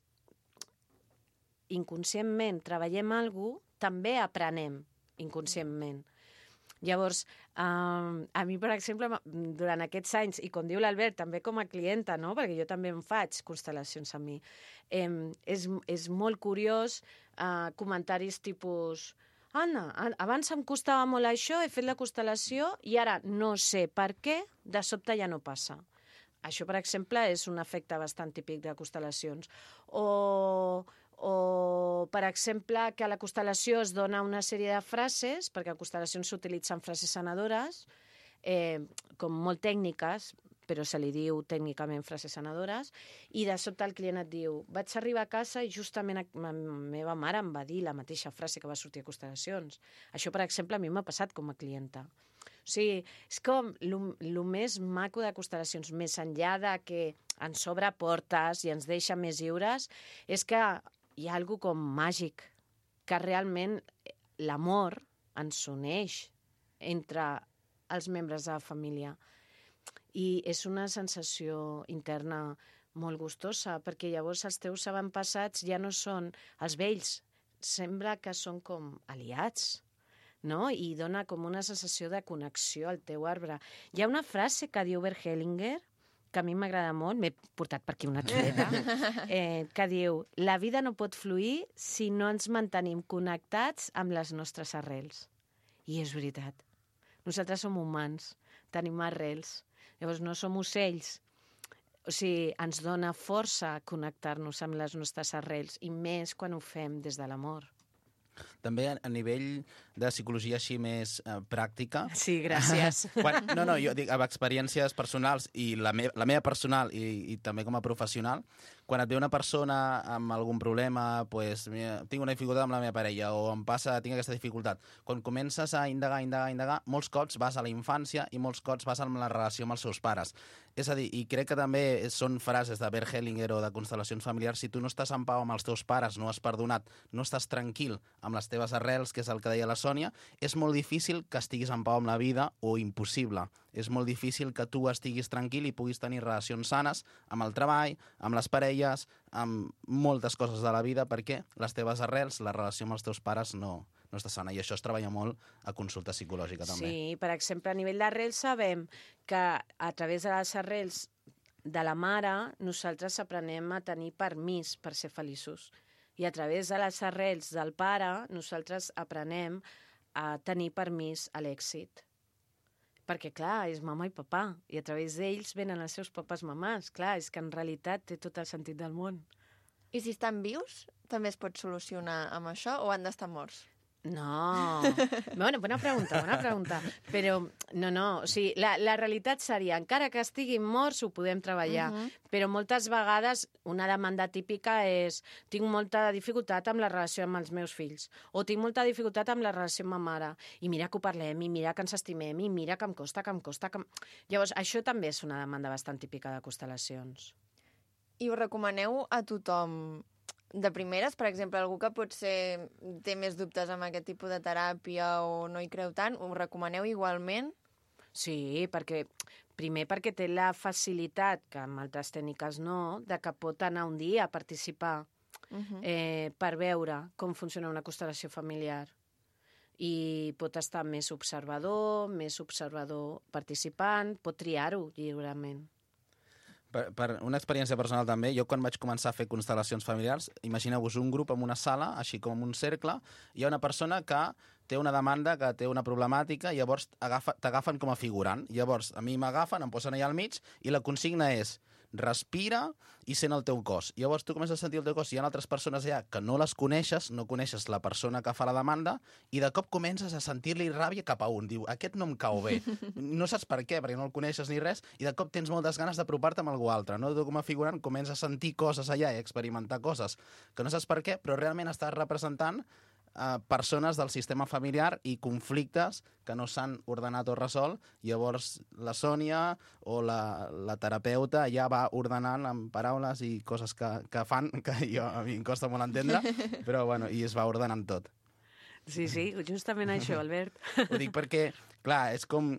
inconscientment treballem alguna cosa, també aprenem inconscientment. Llavors, a mi, per exemple, durant aquests anys, i com diu l'Albert, també com a clienta, no? Perquè jo també em faig constel·lacions a mi, és molt curiós comentaris tipus Anna, abans em costava molt això, he fet la constel·lació i ara no sé per què, de sobte ja no passa. Això, per exemple, és un efecte bastant típic de constel·lacions. O, per exemple, que a la constel·lació es dona una sèrie de frases, perquè a constel·lacions s'utilitzen frases sanadores, com molt tècniques, però se li diu tècnicament frases sanadores, i de sobte el client et diu vaig arribar a casa i justament la meva mare em va dir la mateixa frase que va sortir a constel·lacions. Això, per exemple, a mi m'ha passat com a clienta. O sigui, és com el més maco de constel·lacions, més enllà de que ens obre portes i ens deixa més lliures, és que hi ha alguna com màgic, que realment l'amor ens uneix entre els membres de la família. I és una sensació interna molt gustosa, perquè llavors els teus avantpassats ja no són els vells, sembla que són com aliats, no? I dona com una sensació de connexió al teu arbre. Hi ha una frase que diu Bert Hellinger, que a mi m'agrada molt, m'he portat per aquí una xuleta, que diu la vida no pot fluir si no ens mantenim connectats amb les nostres arrels. I és veritat. Nosaltres som humans, tenim arrels. Llavors no som ocells. O sigui, ens dona força connectar-nos amb les nostres arrels, i més quan ho fem des de l'amor. També a nivell de psicologia així més pràctica. Sí, gràcies. No, jo dic, amb experiències personals i la meva personal i també com a professional, quan et ve una persona amb algun problema, pues, mira, tinc una dificultat amb la meva parella o tinc aquesta dificultat. Quan comences a indagar, molts cops vas a la infància i molts cops vas a la relació amb els seus pares. És a dir, i crec que també són frases de Bert Hellinger o de constel·lacions familiars, si tu no estàs en pau amb els teus pares, no has perdonat, no estàs tranquil amb les teves arrels, que és el que deia la Sònia, és molt difícil que estiguis en pau amb la vida o impossible. És molt difícil que tu estiguis tranquil i puguis tenir relacions sanes amb el treball, amb les parelles, amb moltes coses de la vida, perquè les teves arrels, la relació amb els teus pares no està sana. I això es treballa molt a consulta psicològica, també. Sí, per exemple, a nivell d'arrels sabem que a través de les arrels de la mare nosaltres aprenem a tenir permís per ser feliços. I a través de les arrels del pare nosaltres aprenem a tenir permís a l'èxit. Perquè, clar, és mama i papà, i a través d'ells venen els seus papàs mamàs. Clar, és que en realitat té tot el sentit del món. I si estan vius, també es pot solucionar amb això o han d'estar morts? No. Bueno, bona pregunta. Però, no. O sigui, la realitat seria, encara que estiguin morts, ho podem treballar. Però moltes vegades una demanda típica és tinc molta dificultat amb la relació amb els meus fills, o tinc molta dificultat amb la relació amb ma mare, i mira que ho parlem, i mira que ens estimem, i mira que em costa. Llavors, això també és una demanda bastant típica de constel·lacions. I ho recomaneu a tothom de primeres? Per exemple, algú que potser té més dubtes amb aquest tipus de teràpia o no hi creu tant, ho recomaneu igualment? Sí, perquè té la facilitat, que amb altres tècniques no, de que pot anar un dia a participar per veure com funciona una constel·lació familiar. I pot estar més observador participant, pot triar-ho lliurement. Per una experiència personal també, jo quan vaig començar a fer constel·lacions familiars, imagineu-vos un grup en una sala, així com un cercle, hi ha una persona que té una demanda, que té una problemàtica, i llavors t'agafen com a figurant. Llavors, a mi m'agafen, em posen allà al mig, i la consigna és respira i sent el teu cos. Llavors tu comences a sentir el teu cos, hi ha altres persones allà que no les coneixes, no coneixes la persona que fa la demanda, i de cop comences a sentir-li ràbia cap a un. Diu, aquest no em cau bé. No saps per què, perquè no el coneixes ni res, i de cop tens moltes ganes d'apropar-te amb algú altre. No? Tu com a figurant comences a sentir coses allà i experimentar coses que no saps per què, però realment estàs representant persones del sistema familiar i conflictes que no s'han ordenat o resolt. Llavors la Sònia o la terapeuta ja va ordenant amb paraules i coses que fan, que a mi em costa molt entendre, però bueno, i es va ordenant tot. Sí, justament això, Albert. Ho dic perquè, clar, és com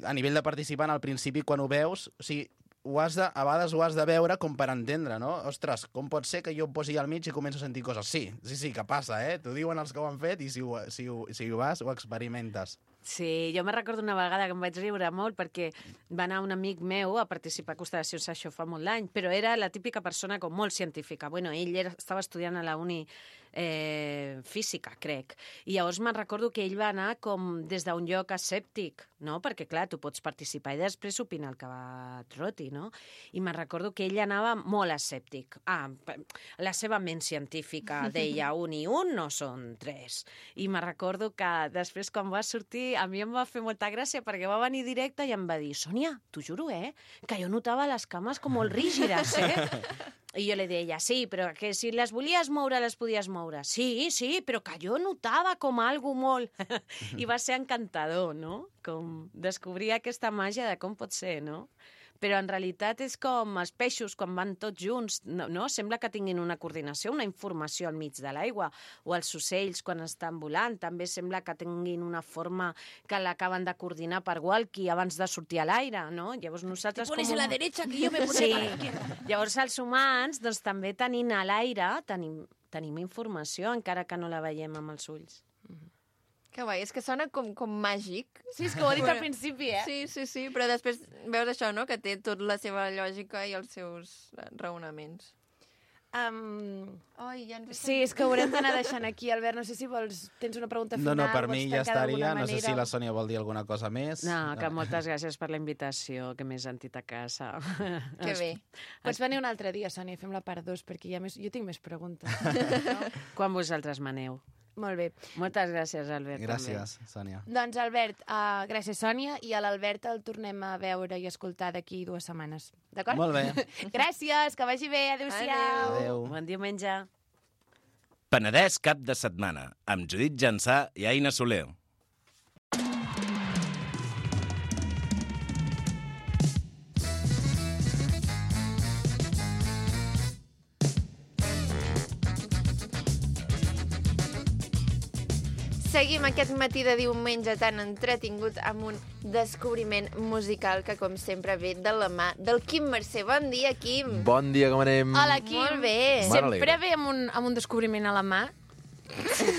a nivell de participant al principi quan ho veus, o sigui, a vegades ho has de veure com per entendre, no? Ostres, com pot ser que jo em posi al mig i començo a sentir coses? Sí, que passa, T'ho diuen els que ho han fet i si ho vas, ho experimentes. Sí, jo me recordo una vegada que em vaig riure molt perquè va anar un amic meu a participar a constel·lacions, això fa molt d'any, però era la típica persona com molt científica. Bueno, ell estava estudiant a la uni física, crec. I llavors me'n recordo que ell va anar com des d'un lloc escèptic, no? Perquè, clar, tu pots participar i després opinar el que va et roti, no? I me'n recordo que ell anava molt escèptic. La seva ment científica deia 1 i 1 no són 3. I me'n recordo que després, quan va sortir, a mi em va fer molta gràcia perquè va venir directe i em va dir, Sònia, t'ho juro, que jo notava les cames com molt rígides, I jo li deia, sí, però que si les volies moure, les podies moure. Sí, però que jo notava com algo molt... I va ser encantador, no? Com descobrir aquesta màgia de com pot ser, no? Però en realitat és com els peixos quan van tots junts, no? Sembla que tinguin una coordinació, una informació al mig de l'aigua, o els ocells quan estan volant també sembla que tinguin una forma que l'acaben de coordinar per walkie abans de sortir a l'aire, no? Llavors nosaltres... Te pones a la derecha que yo me pondré a la izquierda. Llavors els humans, doncs també tenint a l'aire, tenim informació encara que no la veiem amb els ulls. Que guai, és que sona com màgic. Sí, és que ho he dit al principi, Sí, però després veus això, no?, que té tot la seva lògica i els seus raonaments. Sí, és que ho haurem d'anar deixant aquí, Albert. No sé si tens una pregunta final. No, per mi ja estaria. No sé si la Sònia vol dir alguna cosa més. No, que moltes gràcies per la invitació, que m'he sentit a casa. Que bé. Pots venir un altre dia, Sònia, i fem la part 2, perquè jo tinc més preguntes. Quan vosaltres m'aneu? Molt bé. Moltes gràcies, Albert. Gràcies, Sònia. Doncs, Albert, gràcies, Sònia, i a l'Albert el tornem a veure i escoltar d'aquí 2 setmanes. D'acord? Molt bé. Gràcies, que vagi bé. Adéu-siau. Adéu. Bon diumenge. Penedès cap de setmana, amb Judit Jansà i Aina Soler. Seguim aquest matí de diumenge tan entretingut amb un descobriment musical que, com sempre, ve de la mà del Quim Mercè. Bon dia, Quim. Bon dia, com anem? Hola, Quim. Molt bé. Sempre ve amb un descobriment a la mà.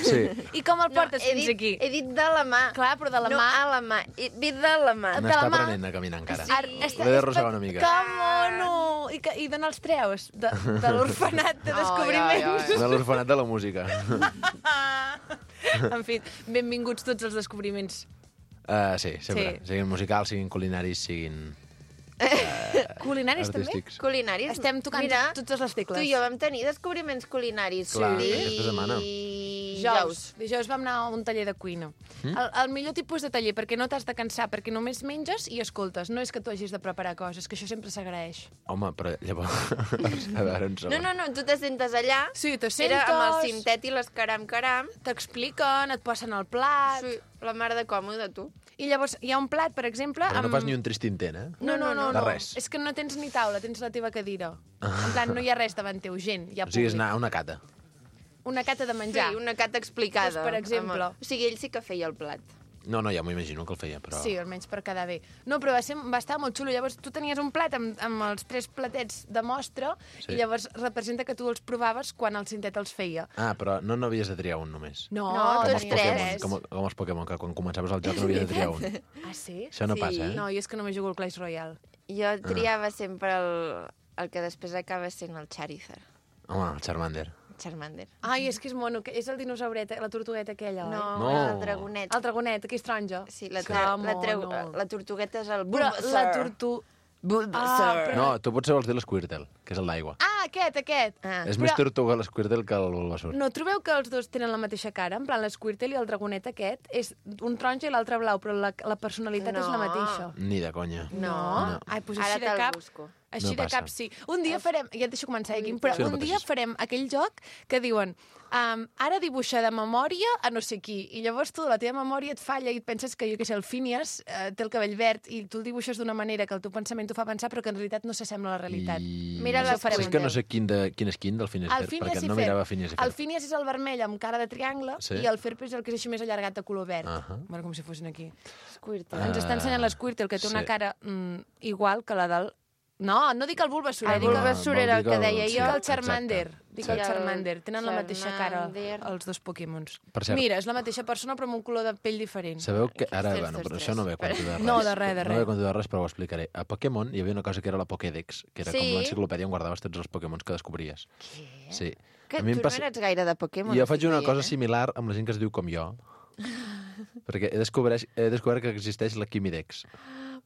Sí. I com el portes fins aquí? He dit de la mà. Clar, però de la no mà. a la mà. Ve de la mà. De N'està la mà. aprenent a caminar encara. Sí. L'he d'arrossegar una mica. Que mono! I d'on els treus? De l'orfenat de descobriments. De l'orfenat de la música. En fi, benvinguts tots els descobriments. Sí, sempre. Sí. Siguin musicals, siguin culinaris, siguin Culinaris, també? artístics. Culinaris. Estem tocant totes les tecles. Tu i jo vam tenir descobriments culinaris. Clar, aquesta setmana. Dijous vam anar a un taller de cuina. El millor tipus de taller, perquè no t'has de cansar, perquè només menges i escoltes. No és que tu hagis de preparar coses, que això sempre s'agraeix. Home, però llavors... A veure, un segon. No, tu te sentes allà. Sí, te Era amb el sentes, cintet i les caram. t'expliquen, et posen el plat... Sí, la mar de còmode, tu. I llavors hi ha un plat, per exemple... Però no fas ni un trist intent, eh? No. De res. És que no tens ni taula, tens la teva cadira. En plan, no hi ha res davant teu, gent, hi ha O sigui, és públic. anar a una cata. Una cata de menjar. Sí, una cata explicada. Doncs, per exemple. O sigui, ell sí que feia el plat. No, ja m'ho imagino que el feia, però... Sí, almenys per quedar bé. No, però va estar molt xulo. Llavors, tu tenies un plat amb els 3 platets de mostra Sí. i llavors representa que tu els provaves quan el cintet els feia. Ah, però no n'havies de triar un només. No, tots els tres. Pokémon, com els Pokémon, que quan començaves el joc no havies de triar un. Ah, sí? Això no Sí. passa, eh? No, jo és que només jugo al Clash Royale. Jo triava sempre el que després acaba sent el Charizard. Home, el Charmander. Charmander. Ai, és que és mono, que és el dinosaureta, la tortugueta aquella, oi? No, el dragonet. El dragonet, que és taronja. Sí, Que mono. la tortugueta és el Però Bulbasaur. la tortu... Bulbasaur. No, tu potser vols dir l'Squirtle, que és el d'aigua. Ah, aquest! Ah. És més tortuga l'Squirtle que el Bulbasaur. No trobeu que els dos tenen la mateixa cara? En plan, l'Squirtle i el dragonet aquest és un taronja i l'altre blau, però la personalitat és la No. mateixa. Ni de conya. No. Ai, doncs Ara així de te'l cap... busco. Així No de passa. cap, sí. Un dia farem... Ja et deixo començar, Quim, però Sí, no un dia pateixis. farem aquell joc que diuen ara dibuixa de memòria a no sé qui, i llavors tu, la teva memòria et falla i et penses que, jo què sé, el Phineas té el cabell verd i tu el dibuixes d'una manera que el teu pensament t'ho fa pensar però que en realitat no s'assembla a la realitat. Mira Això les farem És un que no dia. sé quin és quin del Phineas El Fer, Phineas perquè i no Ferb. mirava Phineas i El Fer. Phineas és el vermell amb cara de triangle Sí. i el Ferb és el que és així més allargat de color verd. Bueno, com si fossin aquí. Squirtle. Ens està ensenyant l'Squirtle, que té una sí. cara igual que la del... No, no dic el Bulbasaur, El dic el... Bulbasaur era el que deia Dic jo. el Charmander. exacte. Dic Sí. el Charmander. Tenen la mateixa cara, Charmander. els dos Pokémons. Per cert. Mira, és la mateixa persona però amb un color de pell diferent. Sabeu que ara, Ostres, bueno, però ostres. això no ve a compte de res. No, de res, de No res. ve a compte de res, però ho explicaré. A Pokémon hi havia una cosa que era la Pokédex, que era Sí. com l'enciclopèdia on guardaves tots els Pokémons que descobries. Què? Sí. Que A mi tu em passa... no eres gaire de Pokémon. Jo faig una estic cosa veient, similar amb la gent que es diu com jo, perquè he descobert que existeix la Quimidex.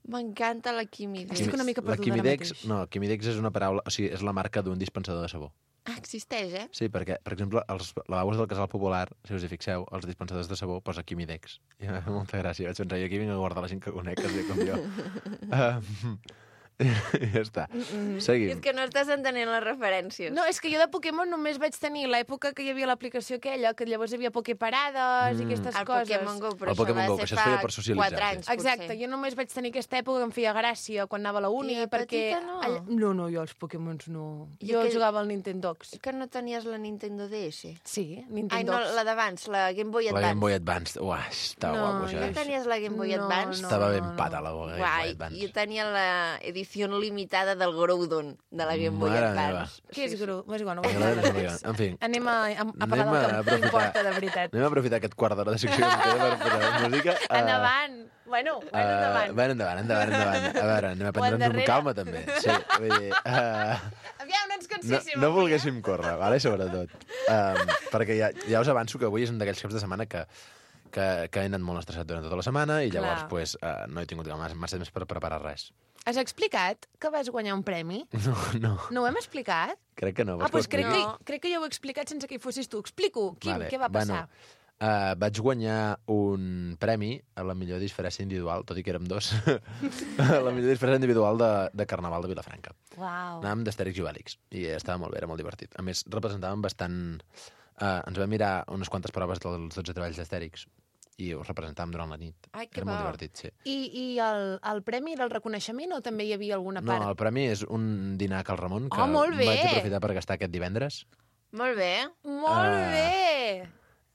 M'encanta la química. Estic una mica La perduda ara Quimidex, mateix. no, Quimidex és una paraula, o sigui, és la marca d'un dispensador de sabó. Ah, existeix, eh? Sí, perquè, per exemple, els lavabos del Casal Popular, si us hi fixeu, els dispensadors de sabó posa Quimidex. I em fa molta gràcia. Vaig pensar, jo aquí vinc a guardar la gent que conec, que es diu com jo. I ja està. Seguim. És que no estàs entenent les referències. No, és que jo de Pokémon només vaig tenir l'època que hi havia l'aplicació aquella, que llavors hi havia Poképarades i aquestes el coses. Pokémon Go, però El Pokémon això Go, va que ser això es feia fa per socialitzar, 4 anys, Exacte, potser. jo només vaig tenir aquesta època que em feia gràcia quan anava a la uni, I de perquè... petita no? No, jo els Pokémons no. I Jo aquell- jugava al Nintendox. Que no tenies la Nintendo DS? Sí, Ai, no, Nintendox. la d'abans, la Game Boy La Advance. Game Boy Advance. Uah, estava No, guapo, No això. tenies la Game Boy No, Advance? no. Estava ben pata, la Game Boy Guai, Advance. jo tenia la edició limitada del Groudon de la Game Boy Mare Advance. Què és gru? És igual, no vull M'agrada parlar més més. En fi, Anem a parlar Anem del a que aprofitar- importa de veritat. anem a aprofitar aquest quart d'hora de secció que queda per posar música. Endavant! Bueno, endavant. Bueno, endavant. A veure, anem a prendre'ns amb endarrere. calma, també. Sí, vull dir... Aviam, no ens no, canséssim. no volguéssim córrer, vale? Sobretot. Perquè ja us avanço que avui és un d'aquells caps de setmana que he anat molt estressat durant tota la setmana i llavors Clar. pues, no he tingut massa temps per preparar res. Has explicat que vas guanyar un premi? No, No ho hem explicat? crec que no. Doncs crec No. que jo ho he explicat sense que hi fossis tu. Explico, Quim, què va passar? Vaig guanyar un premi a la millor disfressa individual, tot i que érem dos, a la millor disfressa individual de Carnaval de Vilafranca. Uau. Anàvem d'Astèrix i Obèlix, i estava molt bé, era molt divertit. A més, representàvem bastant... ens vam mirar unes quantes proves dels 12 treballs d'Astèrix, i us representàvem durant la nit. Ai, que era molt bo. divertit, sí. I el premi era el reconeixement o també hi havia alguna No, part? el premi és un dinar a Cal Ramon, que Oh, molt bé! vaig aprofitar per gastar aquest divendres. Molt bé. Molt bé!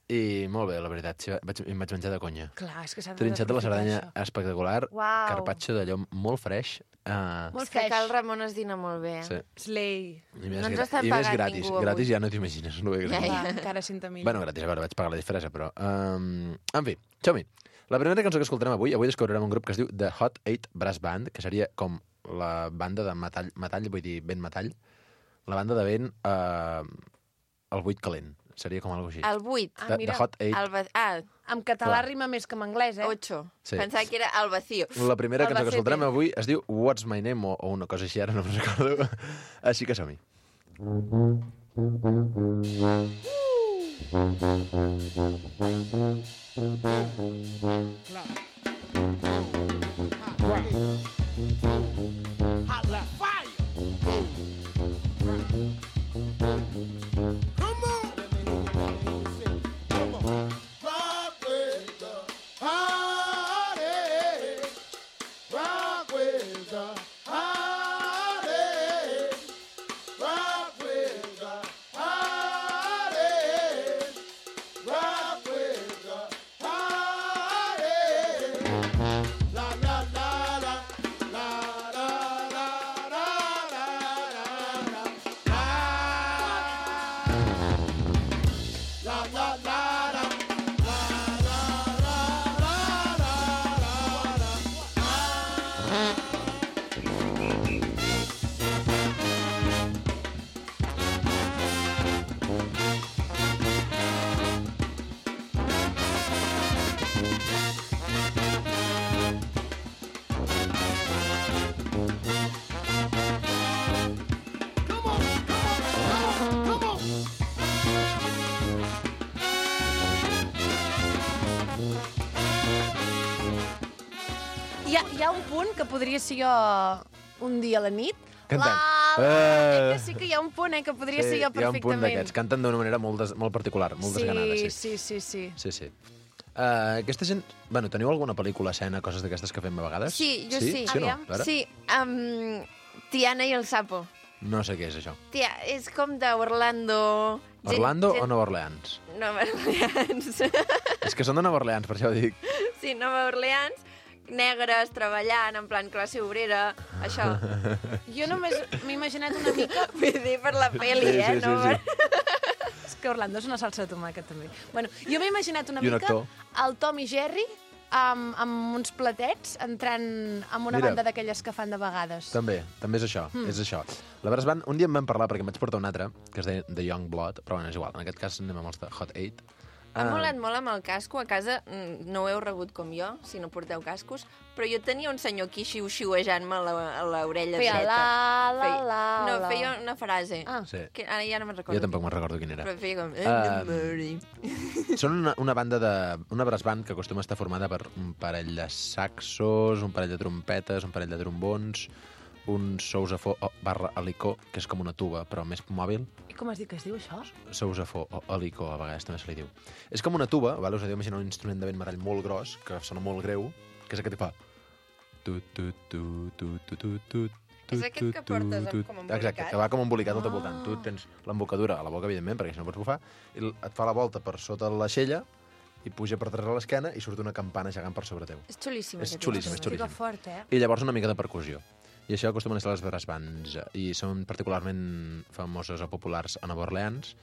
I molt bé, la veritat, sí, em vaig menjar de conya. Clar, és que s'ha Trinxat de la Cerdanya d'aprofitar això. espectacular, Uau. carpaccio d'allò molt freix. Molt És que fresh. Cal Ramon es dina molt bé. Sí. Slay. I més, No ens estan i més pagant gratis. ningú avui. Gratis ja no t'imagines. No Ja, ja. Va, encara cinta millor. Bueno, gratis, a veure, vaig pagar la disfressa, però... en fi, som-hi. La primera cançó que escoltarem avui descobrirem un grup que es diu The Hot 8 Brass Band, que seria com la banda de metall, vull dir, vent metall. La banda de vent el buit calent. Seria com alguna cosa així. El 8. Ah, The mira. Hot 8. En català Clar. rima més que en anglès, 8. Sí. Pensava que era el vacío. La primera cançó que Albacete. escoltarem avui es diu What's My Name o una cosa així, ara no me'n recordo. Així que som-hi. Hi ha un punt que podria ser jo un dia a la nit. Cantant. Que sí que hi ha un punt, que podria ser jo hi ha un punt perfectament. d'aquests. Canten d'una manera molt particular, molt desganada, sí. Sí. Sí. Aquesta gent... Bueno, teniu alguna pel·lícula, escena, coses d'aquestes que fem a vegades? Sí, jo sí. Sí, no? Aviam. Clara? Sí, Tiana i el sapo. No sé què és això. Tia, és com d'Orlando... Orlando o Nova Orleans? Nova Orleans. És que són de Nova Orleans, per això ho dic. Sí, Nova Orleans, negres, treballant, en plan classe obrera, això. Jo només m'he imaginat una mica... Vull dir, per la peli, Sí, sí, no? sí. És que Orlando és una salsa de tomàquet, també. Bueno, jo m'he imaginat una I un mica actor. el Tom i Jerry amb uns platets entrant amb una Mira. banda d'aquelles que fan de vegades. També és això, és això. La Brass Band, un dia em van parlar, perquè em vaig portar un altre, que es deia The Young Blood, però bueno, és igual, en aquest cas anem amb els de Hot 8. Ha molat molt amb el casco. A casa no ho heu rebut com jo, si no porteu cascos, però jo tenia un senyor aquí xiu-xiuejant-me a l'orella Feia dreta. la. No, feia una frase. Ah. Sí. Que ara ja no me'n recordo. Jo tampoc me'n recordo quin era. Però feia com... Són una banda una brass band que acostuma a estar formada per un parell de saxos, un parell de trompetes, un parell de trombons, un sousafó barra helicó, que és com una tuba, però més mòbil. I com has dit que es diu això? Sousafó o helicó, a vegades també se li diu. És com una tuba, vale? Us heu d'imaginar un instrument de vent metall molt gros, que sona molt greu, que és aquest que fa... És aquest que portes com embolicat? Exacte, que va com embolicat tot al voltant. Tu tens l'embocadura a la boca, evidentment, perquè si no pots bufar, i et fa la volta per sota l'aixella, i puja per darrere l'esquena i surt una campana gegant per sobre teu. És xulíssim. És aquest xulíssim, és instrument. xulíssim. Fica fort, eh? I llavors una mica de percussió. I això acostumen a ser les brass bands, i són particularment famoses o populars a Nova Orleans,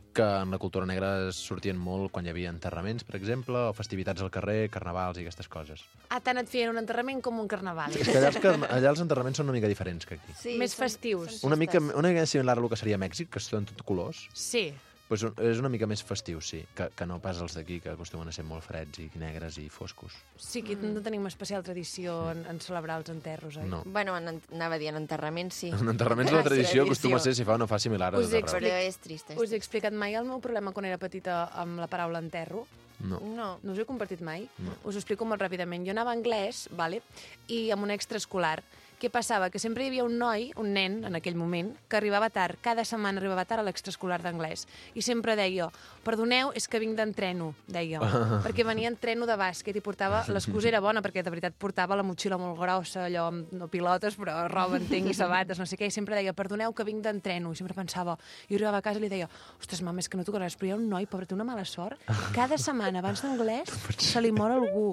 que en la cultura negra sortien molt quan hi havia enterraments, per exemple, o festivitats al carrer, carnavals i aquestes coses. Ah, tant et feien un enterrament com un carnaval. És que allà els enterraments són una mica diferents que aquí. Sí, Més són- festius. són Una mica festes. similar a el que seria Mèxic, que són tot colors, Sí. doncs és una mica més festiu, sí, que no pas els d'aquí, que acostumen a ser molt freds i negres i foscos. Sí, aquí no tenim especial tradició en celebrar els enterros, oi? No. Bueno, anava dient enterrament, sí. En enterraments la Sí, tradició tradició. acostuma a ser, si fa o no fa, similar a Us tot arreu. Però és trist. Us he explicat mai el meu problema quan era petita amb la paraula enterro? No. No. No us ho he compartit mai? No. Us ho explico molt ràpidament. Jo anava a anglès, vale? I amb un extraescolar. Què passava? Que sempre hi havia un noi, un nen, en aquell moment, que arribava tard. Cada setmana arribava tard a l'extraescolar d'anglès. I sempre deia, perdoneu, és que vinc d'entreno, deia. Perquè venia entreno de bàsquet i portava... L'excusa era bona, perquè de veritat portava la motxilla molt grossa, allò amb no pilotes, però roba, entenc, i sabates, no sé què. I sempre deia, perdoneu, que vinc d'entreno. I sempre pensava... Jo arribava a casa i li deia, ostres, mama, és que no toca res, però hi ha un noi, pobre, té una mala sort. Cada setmana, abans d'anglès, se li mor algú.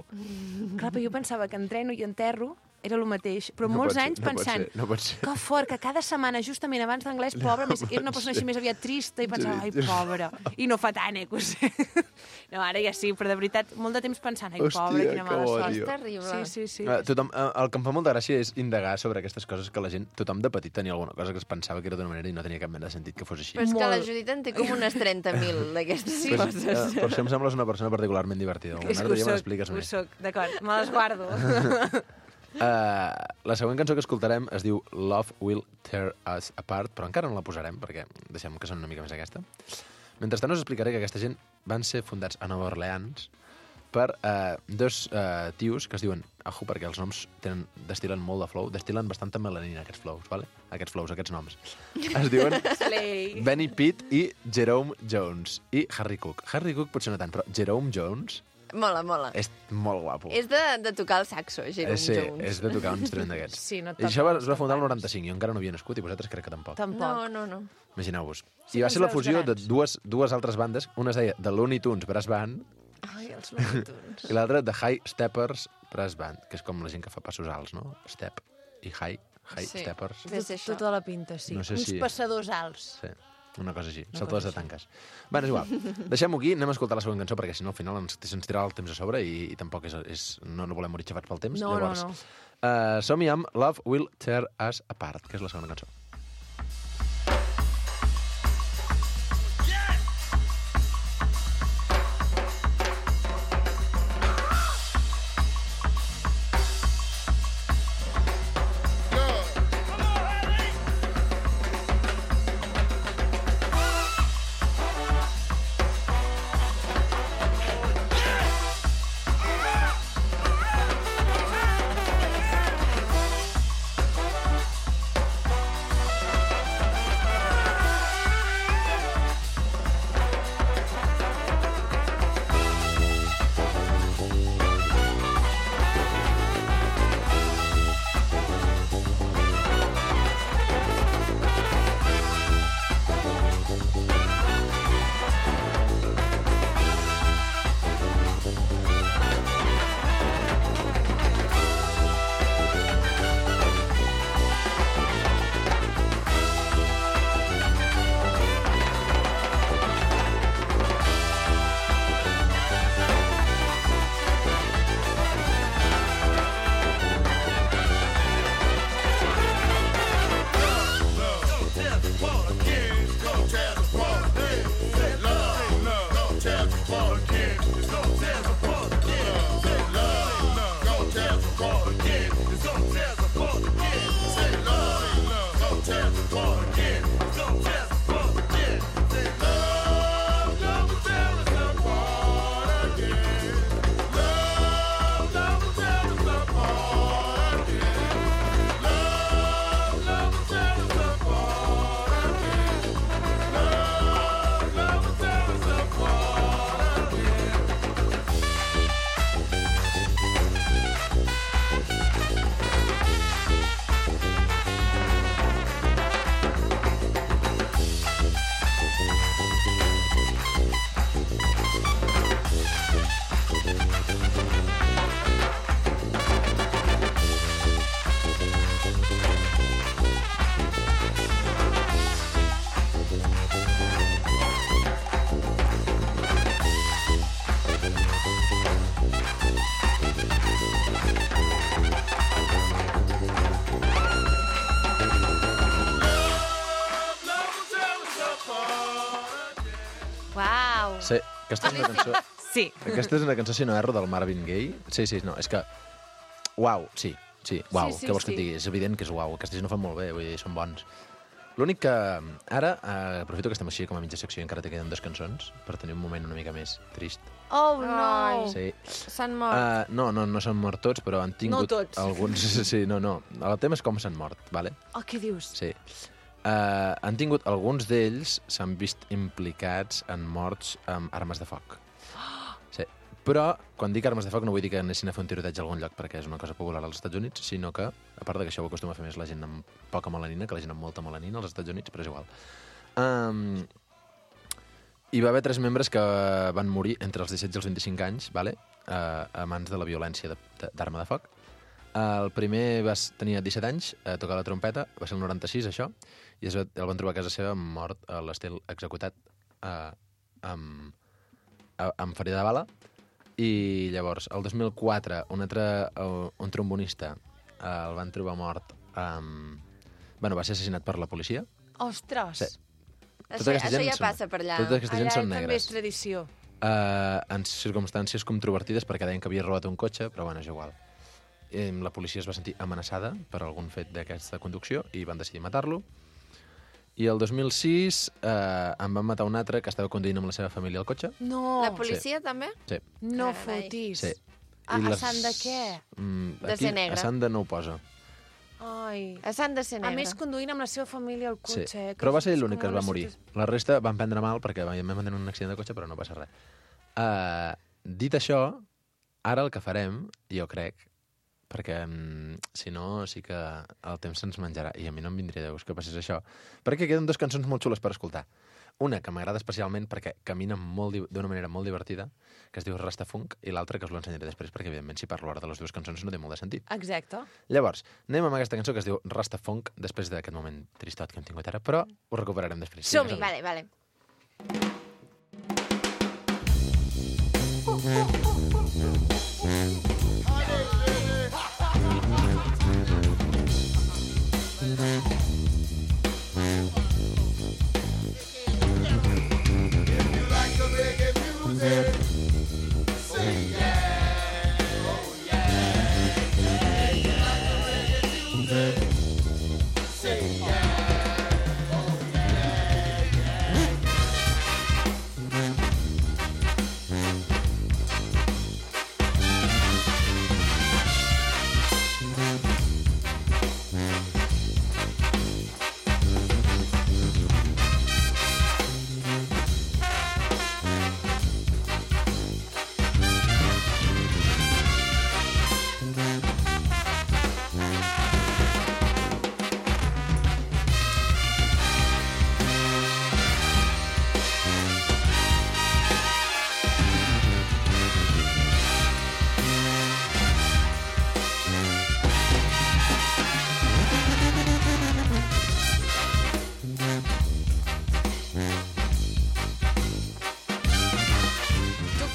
Clar, però jo pensava que entreno i enterro era el mateix, però molts anys pensant que fort, que cada setmana, justament abans d'anglès, pobre, era una persona així més aviat trista i pensava, ai, pobra, i no fa tant, que ho sé. No, ara ja sí, però de veritat, molt de temps pensant, ai, pobra, quina mala sort. És terrible. Sí. Tothom, el que em fa molta gràcia és indagar sobre aquestes coses que la gent, tothom de petit tenia alguna cosa que es pensava que era d'una manera i no tenia cap mena de sentit que fos així. Però és que la Judit en té com unes 30.000 d'aquestes coses. Per això em sembles una persona particularment divertida. És que ho soc, d'acord, me les guardo. La següent cançó que escoltarem es diu Love Will Tear Us Apart, però encara no la posarem perquè deixem que soni una mica més aquesta. Mentrestant us explicaré que aquesta gent van ser fundats a Nova Orleans per dos tios que es diuen, ojo, perquè els noms destilen molt de flow, destilen bastanta melanina, aquests flows, vale? Aquests noms. Es diuen Benny Pitt i Jerome Jones i Harry Cook. Harry Cook potser no tant, però Jerome Jones Mola, mola. és molt guapo. És de tocar el saxo, Jerome Jones. És de tocar un instrument d'aquests. Sí, no I això es va fundar el 95, jo encara no havia nascut i vosaltres crec que tampoc. Tampoc. No. Imagineu-vos. Sí, I va ser la uns fusió de grans. dues altres bandes. Una es deia The Looney Tunes Brass Band Ai, els Looney Tunes. i l'altra The High Steppers Brass Band, que és com la gent que fa passos alts, no? Step i High Sí. Steppers. Deu ser això. Tota la pinta, sí. No sé Uns si- passadors alts. Sí, una cosa així. Saltadors de tanques. Bé, és igual. Deixem-ho aquí, anem a escoltar la següent cançó, perquè si no al final ens tirarà el temps a sobre i tampoc no volem morir xafats pel temps. No. Som-hi amb Love Will Tear Us Apart, que és la segona cançó. Uau! Sí, aquesta és una cançó... Sí. Aquesta és una cançó, si no erro, del Marvin Gaye. Sí, no, és que... Uau, sí, uau, Sí, què vols que sí. et digui? És evident que és uau, aquests no fan molt bé, vull dir, són bons. L'únic que ara aprofito que estem així com a mitja secció i encara te queden 2 cançons per tenir un moment una mica més trist. Oh, no! Ai. Sí. S'han mort. No s'han mort tots, però han tingut No tots. alguns... Sí, no. El tema és com s'han mort, vale? Oh, què dius? Sí. Han tingut... Alguns d'ells s'han vist implicats en morts amb armes de foc. Sí. Però, quan dic armes de foc, no vull dir que anessin a fer un tiroteig a algun lloc, perquè és una cosa popular als Estats Units, sinó que, a part que això ho acostuma a fer més la gent amb poca melanina que la gent amb molta melanina als Estats Units, però és igual. Hi va haver 3 membres que van morir entre els 17 i els 25 anys, vale? A mans de la violència d'arma de foc. El primer tenia 17 anys, tocava la trompeta, va ser el 96, això, i el van trobar a casa seva mort a l'estil executat amb ferida de bala. I llavors, el 2004, un trombonista el van trobar mort va ser assassinat per la policia. Ostres! Sí. Això ja passa per allà. Totes aquestes gent Allà són també negres. és tradició. En circumstàncies controvertides perquè deien que havia robat un cotxe, però bueno, és igual. La policia es va sentir amenaçada per algun fet d'aquesta conducció i van decidir matar-lo. I el 2006 en van matar un altre que estava conduint amb la seva família al cotxe. No! La policia també? Sí. No Carai. fotis. Sí. A Sant de què? De ser negre. A Sant de no ho posa. Ai. S'han de ser A negre. més, conduint amb la seva família al Sí. cotxe. Però va ser l'únic que es va morir. La resta van prendre mal perquè van tenir un accident de cotxe, però no passa res. Dit això, ara el que farem, jo crec, perquè si no sí que el temps se'ns menjarà i a mi no em vindria de gust que passés això, perquè queden 2 cançons molt xules per escoltar. Una que m'agrada especialment perquè camina d'una manera molt divertida, que es diu Rastafunk, i l'altra que us l'ensenyaré després perquè, evidentment, si parlo ara de les 2 cançons no té molt de sentit. Exacte. Llavors, anem amb aquesta cançó que es diu Rastafunk, després d'aquest moment tristot que hem tingut ara, però ho recuperarem després. Som-hi. Vale.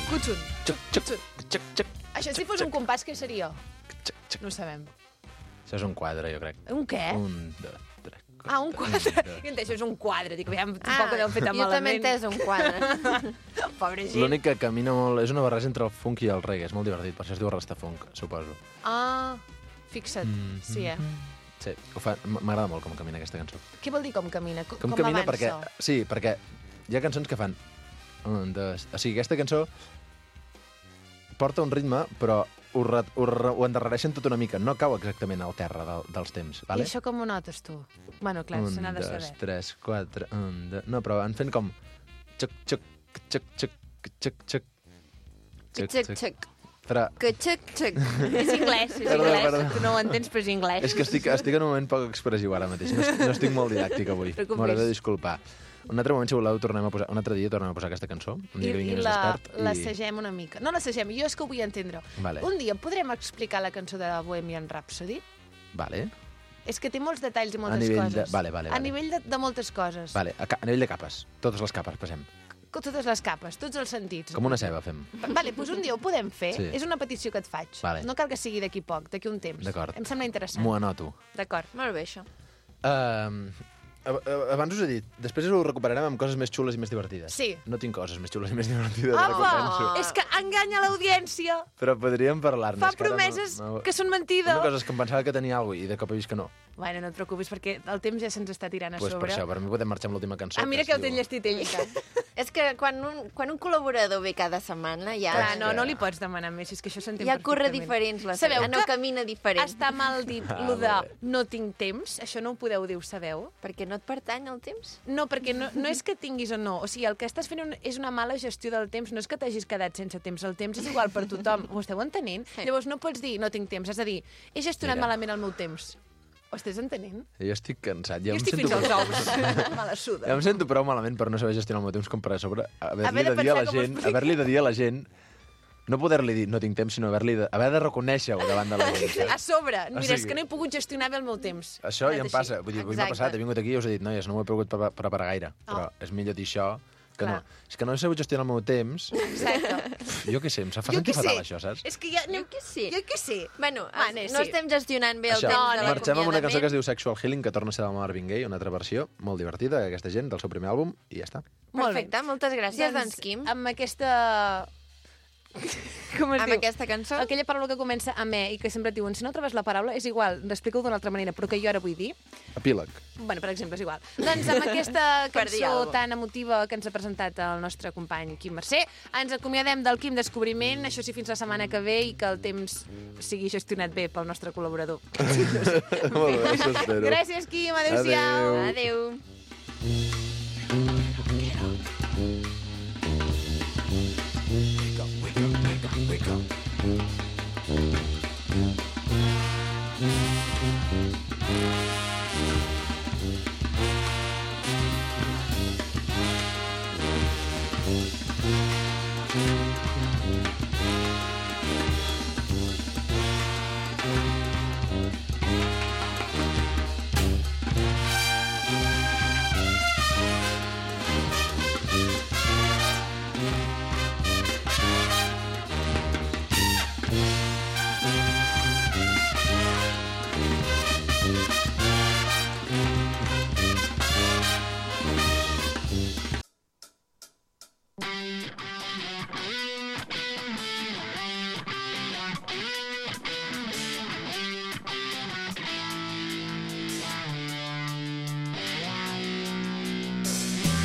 Cutxun. Xuc. Això si fos un compàs, què seria? No ho sabem. Això és un quadre, jo crec. Un què? 1, 2, 3, 4... Ah, un quadre. Jo entenc, això és un quadre. Dic, aviam, tampoc ho deu fer tan jo també he malament. entès un quadre. Pobre gent. L'únic que camina molt... És una barreja entre el funk i el reggae. És molt divertit, per això es diu Rastafunk, suposo. Ah, fixa't. Sí, Sí, m'agrada molt com camina aquesta cançó. Què vol dir com camina? Com camina avança? perquè... Sí, perquè hi ha cançons que fan... 1, 2... O sigui, aquesta cançó porta un ritme, però ho endarrereixen tot una mica. No cau exactament al terra dels temps, vale? I això com ho notes, tu? Bueno, clar, se n'ha de 1, saber. 2, 3, 4... 1, 2... No, però en fent com... Xuc, xuc, xuc, xuc, xuc, xuc. Xuc. Però... Que xuc. És anglès, és Perdó, anglès. perdó. Tu no ho entens, però és anglès. És que estic en un moment poc expressiu ara mateix. No estic molt didàctic avui. Preocupis. M'hauré de disculpar. Un altre moment, si voleu, un altre dia tornem a posar aquesta cançó. Un dia que vingui més expert. l'assagem una mica. No l'assagem, jo és que ho vull entendre. Vale. Un dia podrem explicar la cançó de Bohemian Rhapsody? Vale. És que té molts detalls i moltes nivell coses. de- vale. A nivell de moltes coses. Vale, a nivell de capes. Totes les capes, passem. Totes les capes, tots els sentits. Com una ceba, fem. Vale, doncs un dia ho podem fer. Sí. És una petició que et faig. Vale. No cal que sigui d'aquí poc, d'aquí un temps. D'acord. Em sembla interessant. M'ho anoto. D'acord. Molt bé, això. abans us he dit, després ho recuperarem amb coses més xules i més divertides. Sí. No tinc coses més xules i més divertides. Apa! penso. És que enganya l'audiència. Però podríem parlar-ne. Fa és que ara promeses que són mentida. Una cosa és que em pensava que tenia alguna cosa i de cop he vist que no. Bueno, no et preocupis, perquè el temps ja se'ns està tirant a Pues per sobre. això, per mi podem marxar amb l'última cançó. Mira que ho té enllestit ell. És que quan un col·laborador ve cada setmana ja... Clar, no li pots demanar més, és que això s'entén Ja corre perfectament. diferents, Sabeu no que camina diferent. està mal dit lo de no tinc temps? Això no ho podeu dir, ho sabeu? Perquè no et pertany el temps? No, perquè no és que tinguis o no. O sigui, el que estàs fent és una mala gestió del temps. No és que t'hagis quedat sense temps. El temps és igual per tothom. Ho esteu entenent? Sí. Llavors no pots dir no tinc temps. Has de dir he gestionat malament el meu temps. Ho estàs entenent? Jo estic cansat. Jo estic fins als ous. Me la suda. Ja em sento prou malament per no saber gestionar el meu temps com per a sobre haver-li de de dir a la pensar com ho gent, expliques. haver-li de dir a la gent, no poder-li dir no tinc temps, sinó haver de reconèixer-ho davant de la gent. A sobre. Mira, sigui- és que no he pogut gestionar bé el meu temps. Això ja em Així. passa. Vull dir, avui m'ha Exacte. passat, he vingut aquí i us he dit, noies, no m'ho he pogut preparar gaire, però és millor dir això que Clar. no. És que no he sabut gestionar el meu temps. Exacte. Jo què sé, em fa Jo sentir què sé. fatal, això, saps? És que ja... Jo què sé. Jo què sé. Bueno, Vale, no sí. estem gestionant bé el Això, temps de marxem amb una cançó que es l'acomiadament. diu Sexual Healing, que torna a ser del Marvin Gaye, una altra versió molt divertida, aquesta gent, del seu primer àlbum, i ja està. Molt bé. Perfecte, moltes gràcies, doncs, Quim. Amb aquesta... Com es Amb diu? aquesta cançó. Aquella paraula que comença amb e i que sempre et diuen si no trobes la paraula, és igual, explica-ho d'una altra manera, però que jo ara vull dir. Epíleg. Bueno, per exemple, és igual. Doncs amb aquesta Per dir cançó alguna cosa. tan emotiva que ens ha presentat el nostre company Quim Mercè, ens acomiadem del Quim Descobriment, això sí, fins la setmana que ve i que el temps sigui gestionat bé pel nostre col·laborador. Molt bé, això espero. Gràcies, Quim. Adéu-siau. Adéu. Adéu.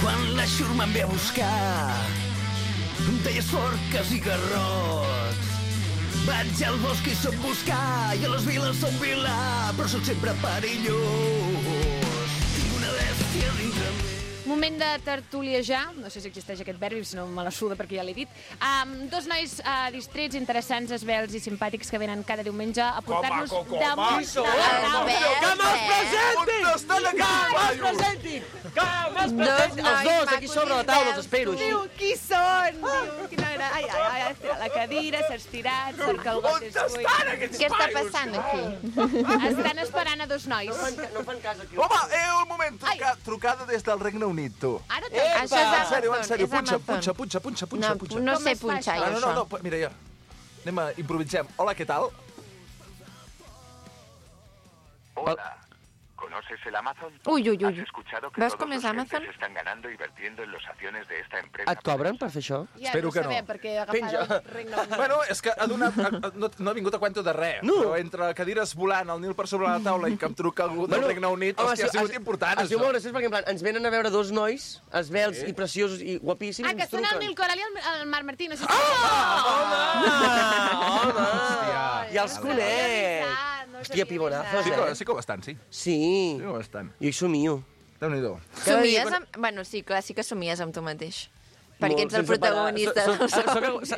Quan la xurma em ve a buscar, deies forques i garrots. Vaig al bosc i soc buscar, i a les viles soc vilà, però sóc sempre perillós. Tinc una bèstia dintre mi. Moment de tertuliejar, no sé si existeix aquest verb, si no me la suda perquè ja l'he dit. Dos nois distrets, interessants, esvelts i simpàtics que venen cada diumenge a portar-nos damunt de la Els dos, aquí sobre la taula, els espero. Diu, qui són? Diu, quina gra... Ai, ai, ai, estira la cadira, s'ha estirat, cerca el got és buit. Què està passant aquí? Estan esperant a dos nois. No fan cas aquí. Home, un moment, trucada des del Regne Unit, tu. Ara Això és En sèrio, Amazon, és punxa, Amazon. punxa. No Com sé es fa punxar, això? jo, No, això. mira, ja. Anem a improvisem. Hola, què tal? Hola. ¿Conoces el Amazon? Uy, uy, uy. ¿Has escuchado que ¿Ves todos com és los Amazon? clientes están ganando y vertiendo en los acciones de esta empresa? Et cobren per fer això? Ja Espero no que no. sabem, perquè ha agafat el Regne Unit. Bueno, és que ha donat, no ha vingut a cuento de res, No. però entre cadires volant, el Nil per sobre la taula i que em truca algú del Regne Unit, hòstia, ha sigut important, Es diu això. molt graciós perquè en plan, ens venen a veure dos nois, esvelts i preciosos i guapíssims, Que ens són el truquen. Nil Coral i el Marc Martí, no sé si... Home! Ja els conec! Hòstia, pimonazos, Sí que ho estan, sí. Sí. Sí que ho estan. Jo hi somio. Déu-n'hi-do. Somies amb... Bueno, sí, clar, sí que somies amb tu mateix. Perquè ets el protagonista.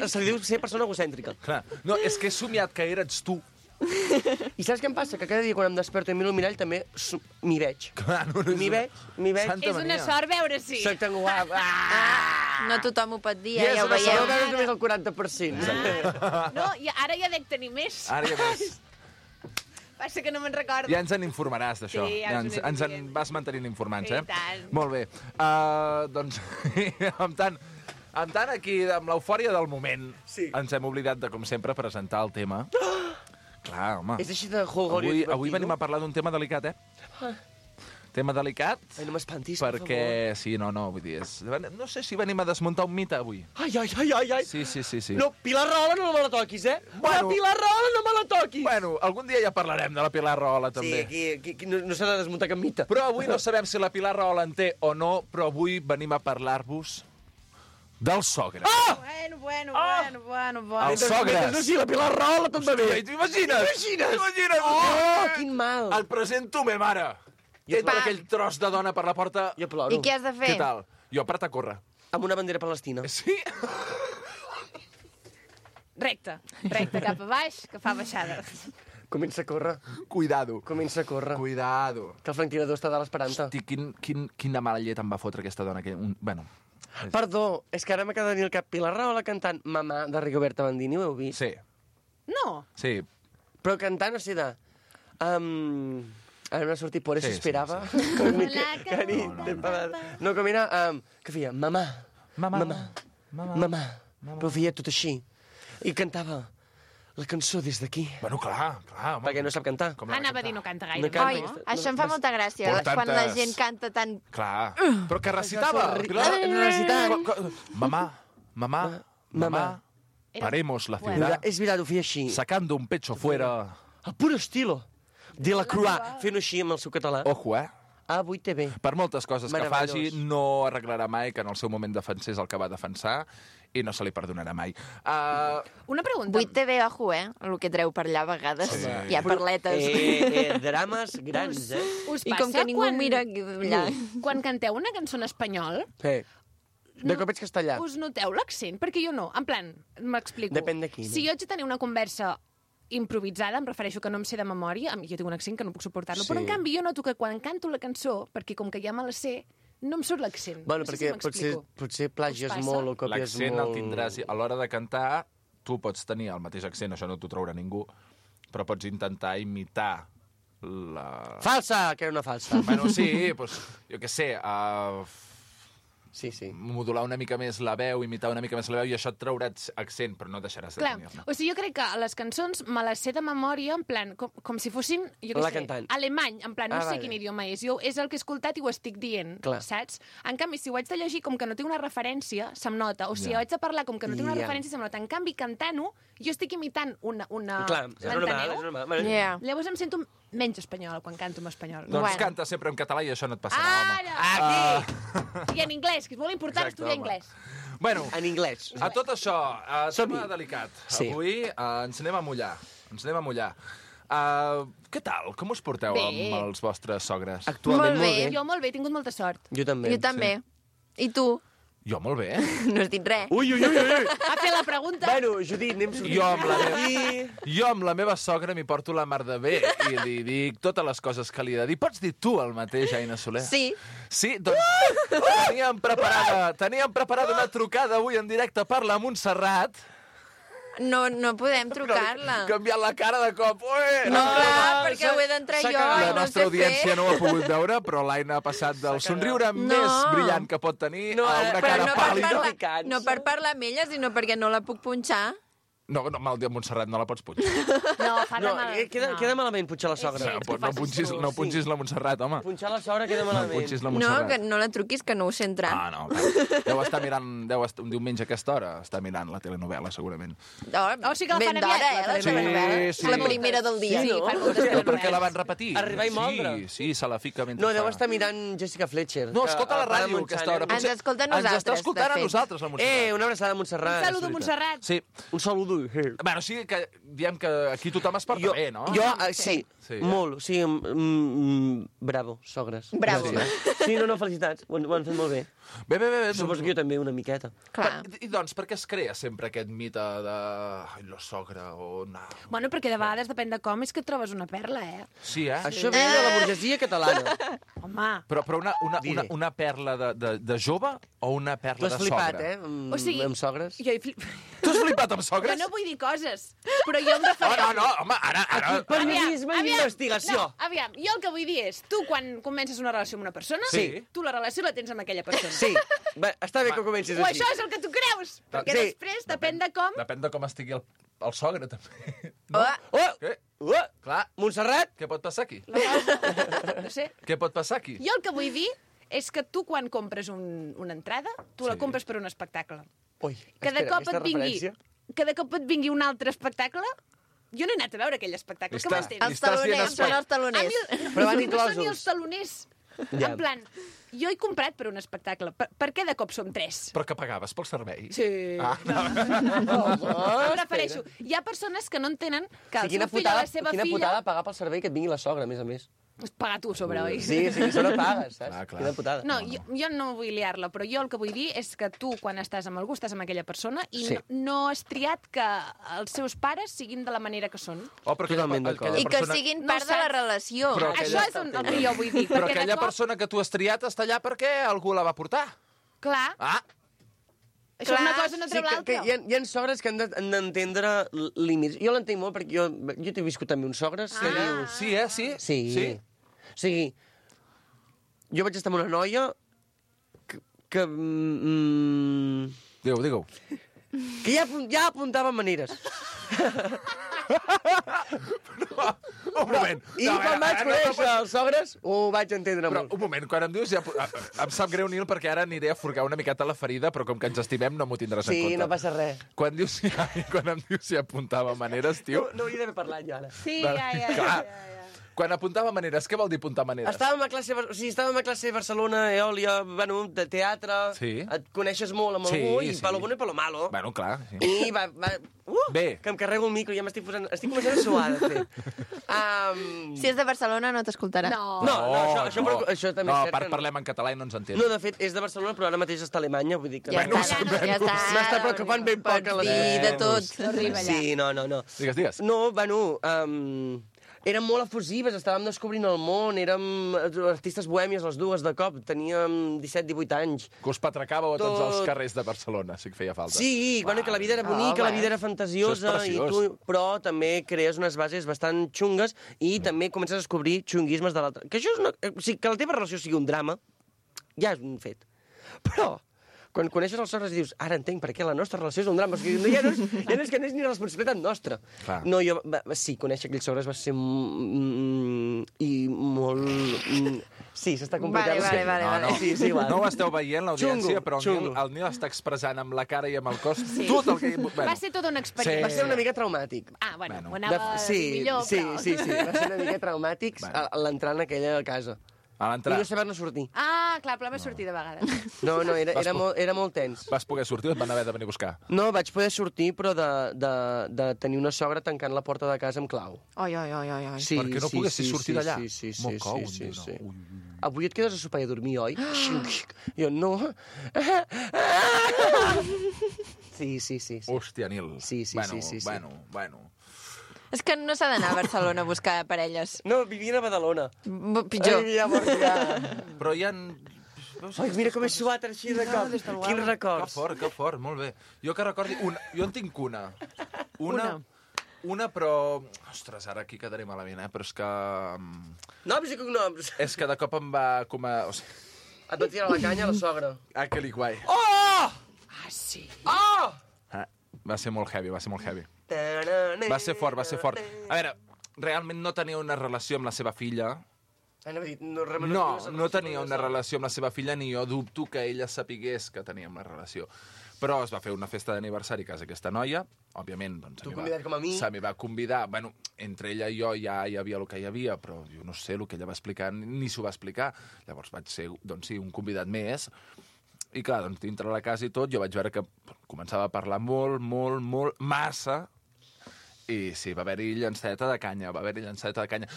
Se li diu ser persona egocèntrica. Clar. No, és que he somiat que eres tu. I saps què em passa? Que cada dia quan em desperto i miro el mirall també m'hi veig. Clar, no, M'hi veig. Santa És una sort veure si. Soc tan guap. No tothom ho pot dir, Yes, ja ho una Jo veieu. veus només el 40%. No, i ara ja dec tenir més. Ara ja ves. Passa que no me'n recordo. Ja ens en informaràs, d'això. Sí, ja us ho ens en diré. vas mantenint informats, I tant. Molt bé. Doncs, amb tant aquí, amb l'eufòria del moment, ens hem oblidat de, com sempre, presentar el tema. Clar, home. És així de holgori. Avui venim a parlar d'un tema delicat, Tema delicat. Ai, no m'espantis, perquè... Sí, no, vull dir... No sé si venim a desmuntar un mite avui. Ai. Sí. No, Pilar Rahola no me la toquis, Bueno, la Pilar Rahola no me la toquis! Bueno, algun dia ja parlarem de la Pilar Rahola, també. Sí, aquí no s'ha de desmuntar cap mite. Però avui no sabem si la Pilar Rahola en té o no, però avui venim a parlar-vos del sogre. Bueno. El sogre. No, sí, la Pilar Rahola tot va bé. T'imagines? Oh, quin mal. Et presento me mare. I entra aquell tros de dona per la porta. Jo ploro. I què has de fer? Què tal? Jo per a córrer. Amb una bandera palestina. Sí? Recte, cap a baix, que fa baixada. Comença a córrer. Cuidado. Comença a córrer. Cuidado. Que el franquinador està dalt esperant-te. Hosti, quina mala llet em va fotre aquesta dona. Bueno... Perdó, és que ara m'acaba de venir al cap Pilar Rahola cantant Mamà de Rigoberta Bandini, ho heu vist? Sí. No. Sí. Però cantant, o sigui, de... Ara m'ha sortit por eso Sí, esperava. sí. No, com era... que feia Mamà. Però feia tot així. I cantava la cançó des d'aquí. Bueno, clar, home. Perquè no sap cantar. Anava a dir no canta gaire. No canta. Oi, això em fa molta gràcia, Por quan la tantes- gent canta tan... Clar. Però que recitava. Mamá, paremos la ciudad. És veritat, ho feia així. Sacando un pecho fuera. El pur estilo. De la Croix. Fent-ho així amb el seu català. Ojo, Avui té bé. Per moltes coses que Meravellós. faci, no arreglarà mai que en el seu moment defensés el que va defensar i no se li perdonarà mai. Una pregunta. 8TV, ojo, el que treu per allà a vegades. Sí. Hi ha perletes. Drames grans, Us I passa com que ningú quan... mira allà. Quan canteu una cançó en espanyol, De cop ets castellà. us noteu l'accent? Perquè jo no. En plan, m'explico. Depèn de qui, no? Si jo haig de tenir una conversa improvisada, em refereixo que no em sé de memòria, jo tinc un accent que no puc suportar-lo, Sí. però en canvi jo noto que quan canto la cançó, perquè com que ja me la sé, no em surt l'accent. Bueno, no sé perquè si m'explico. potser plagies Us passa? molt o copies L'accent molt... el tindràs... A l'hora de cantar, tu pots tenir el mateix accent, això no t'ho traurà ningú, però pots intentar imitar la... Falsa, que era una falsa. Bueno, sí, doncs, jo què sé, Sí. modular una mica més la veu, imitar una mica més la veu, i això et traurà accent, però no deixaràs de Clar, tenir-ne. o sigui, jo crec que les cançons me les sé de memòria, en plan, com si fossin, jo què La sé, cantant. alemany, en plan, no sé vale. quin idioma és. Jo és el que he escoltat i ho estic dient, Clar. saps? En canvi, si ho haig de llegir com que no té una referència, se'm nota. O si Ja. ho haig de parlar com que no té una Ja. referència, se'm nota. En canvi, cantant-ho, jo estic imitant una... Clar, és normal, m'enteneu? és normal. Bueno, Yeah. Llavors em sento menys espanyol quan canto en espanyol. Doncs canta sempre en català i això no et passarà, home. Ara! I en anglès, que és molt important Exacte, estudiar home. anglès. Bueno, en anglès. A tot això, Som-hi. tema delicat. Sí. Avui ens anem a mullar. Què tal? Com us porteu Bé. amb els vostres sogres? Actualment Molt bé. Jo molt bé, he tingut molta sort. Jo també. Jo també. I tu? Jo molt bé. No has dit res. Ui. Ha fet la pregunta. Bueno, Judit, anem sortint. Jo amb la meva sogra m'hi porto la mar de bé i li dic totes les coses que li he de dir. Pots dir tu el mateix, Aina Soler? Sí. Sí? Doncs teníem preparada una trucada avui en directe per la Montserrat. No podem trucar-la. Canviant la cara de cop. Ui! No, clar, perquè ho he d'entrar jo. La i no nostra sé audiència fer. no ho ha pogut veure, però l'Aina ha passat del somriure més brillant que pot tenir a una Però cara no per, pàl·lida. no per parlar amb ella, sinó perquè no la puc punxar. No, mal dia Montserrat, no la pots punxar. No, fa de No, mal. queda malament punxar la sogra. No punxis la Montserrat, home. Punxar la sogra queda No malament. punxis la No, Montserrat. que no la truquis, que no ho sé entrar. Ah, no. Deu estar mirant, un diumenge a aquesta hora, està mirant la telenovela, segurament. Oh, sí que la fan ben aviat, d'hora, la la Sí, telenovela. sí. És la primera del dia. Sí, fan moltes Però per què telenovel·les. la van repetir? Arribar i moldre. Sí, se la fica mentre No, deu fa. estar mirant Jessica Fletcher. No, que escolta la para ràdio a Montsant, aquesta hora. Ens escolta a Ens està nosaltres, escoltant de a fet. nosaltres, la Montserrat. Una abraçada a Montserrat. Un saludo, Montserrat. Sí. Un saludo. Bueno, sí que diem que aquí tothom es porta bé, no? Sí, Sí, molt. O sigui, bravo, sogres. Bravo. Sí, no, felicitats. Ho han fet molt bé. Bé. Suposo que jo també una miqueta. Clar. I doncs, per què es crea sempre aquest mite de... Ai, la sogra o... No. Bueno, perquè de vegades, depèn de com, és que et trobes una perla, Sí, eh? Això ve de la burgesia catalana. Home. Però una perla de jove o una Tu perla has de flipat, sogra? O sigui, amb sogres? Jo he Tu has flipat amb Jo sogres? no vull dir coses, però jo em refereixo... No, home, ara... Periodisme i investigació. No, aviam, jo el que vull dir és, tu quan comences una relació amb una persona, Sí. tu la relació la tens amb aquella persona. Sí, està bé que comencis O així. això és el que tu creus, perquè Sí. després depèn de com... Depèn de com estigui el sogre, també. Oh, Què? Clar. Montserrat? Què pot passar aquí? No sé. Què pot passar aquí? Jo el que vull dir és que tu, quan compres una entrada, tu la compres per un espectacle. Ui, Que de espera, cop aquesta referència. que de cop et vingui un altre espectacle, jo no he anat a veure aquell espectacle. Que m'entens? Els taloners, són els taloners. Però van No són ni inclosos. els taloners. Ja. En plan, jo he comprat per un espectacle. Per què de cop som 3? Però que pagaves pel servei? Sí. Ah, Em refereixo. Hi ha persones que no entenen que el seu fill o la seva quina filla... putada pagar pel servei que et vingui la sogra, a més. Paga tu sobre, oi? Sí, això no pagues, saps? Clar. Quina putada. No, jo no vull liar-la, però jo el que vull dir és que tu, quan estàs amb algú, estàs amb aquella persona i Sí. no has triat que els seus pares siguin de la manera que són. Oh, però Totalment d'acord. I que siguin part de la relació. Però Això és el que jo vull dir. Però perquè de aquella cop, persona que tu has triat està allà perquè algú la va portar. Clar, Ah, això una cosa no treu l'altra. Hi ha sogres que han d'entendre límits. Jo l'entenc molt perquè jo t'he viscut també uns sogres que dius... sí, sí? Sí. O sigui, jo vaig estar amb una noia que Digue-ho. que ja apuntava maneres. Un moment. I quan vaig conèixer els sogres, ho vaig entendre Però, molt. un moment, quan em dius... Ja, em sap greu, Nil, perquè ara aniré a furgar una miqueta la ferida, però com que ens estimem no m'ho tindràs en Sí, compte. no passa res. Quan em dius si apuntava maneres, tio... No hauria d'haver parlat jo ara. Sí, Clar. Quan apuntava maneres, què vol dir apuntar maneres? Estàvem a classe a Barcelona, Eòlia, bueno, de teatre, Sí. et coneixes molt amb Sí, algú, i sí. palo bueno i palo malo. Bueno, clar. Sí. I Bé. que em carrego el micro, ja estic començant a suar, de fet. Si és de Barcelona no t'escoltarà. No, això també és cert. que no. Parlem en català i no ens entén. No, de fet, és de Barcelona, però ara mateix està a Alemanya, vull dir que... Ja està, ja està. M'està preocupant ben poc a la Pots dir de tot. No arriba allà. Sí, no. Digues. No, bueno, érem molt efusives, estàvem descobrint el món, érem artistes bohèmies les dues de cop, teníem 17-18 anys. Que us patracàveu a tots Tot. els carrers de Barcelona, sí que feia falta. Sí, bueno, que la vida era bonica, la vida era fantasiosa, Això és preciós. però també crees unes bases bastant xungues i també comences a descobrir xunguismes de l'altre. Que això és o sigui, que la teva relació sigui un drama, ja és un fet. Però quan coneixes els sogres dius, ara entenc per què la nostra relació és un drama. O sigui, ja no és que no és ni responsabilitat nostra. Clar. No, sí, conèixer aquells sogres va ser i molt... Sí, s'està complicant. Vale. Sí, va. No ho esteu veient, l'audiència, Xungo, però xungo. el Nil està expressant amb la cara i amb el cos tot el que... Va ser tota una experiència. Va ser una mica traumàtic. Ah, bueno, Bueno. ho anava a dir millor, però... Sí, va ser una mica traumàtic l'entrar en aquella casa. A I l'entrar no saber-ne sortir. Ah, clar, però va sortir de vegades. No, era molt tens. vas poder sortir o et van haver de venir a buscar? No, vaig poder sortir, però de tenir una sogra tancant la porta de casa amb clau. Ai. Sí, Perquè no poguessis sortir d'allà. Sí. Me'l cau, sí. nena. Avui et quedes a sopar i a dormir, oi? Jo, no. Sí. Hòstia, Nil. Sí. Bueno. És que no s'ha d'anar a Barcelona a buscar parelles. No, vivien a Badalona. Pitjor. Ai, llavors ja... Però hi ha... Ai, mira com he suat així de cop. Quins records. Que fort, molt bé. Jo que recordi... Jo en tinc una. Una, però... Ostres, ara aquí quedaré malament, Però és que... Noms i cognoms. És que de cop em va... Et va tirar la canya a la sogra. Ah, que li guai. Oh! Ah, sí. Oh! Va ser molt heavy. Va ser fort. A veure, realment no tenia una relació amb la seva filla. No tenia una relació amb la seva filla, ni jo dubto que ella sapigués que teníem la relació. Però es va fer una festa d'aniversari a casa aquesta noia, òbviament, doncs... Tu convidat com a mi? Se m'hi va convidar. Bueno, entre ella i jo ja hi havia el que hi havia, però jo no sé el que ella va explicar, ni s'ho va explicar. Llavors vaig ser, doncs sí, un convidat més. I clar, doncs dintre la casa i tot, jo vaig veure que començava a parlar molt, massa, i sí, va haver-hi llanceta de canya,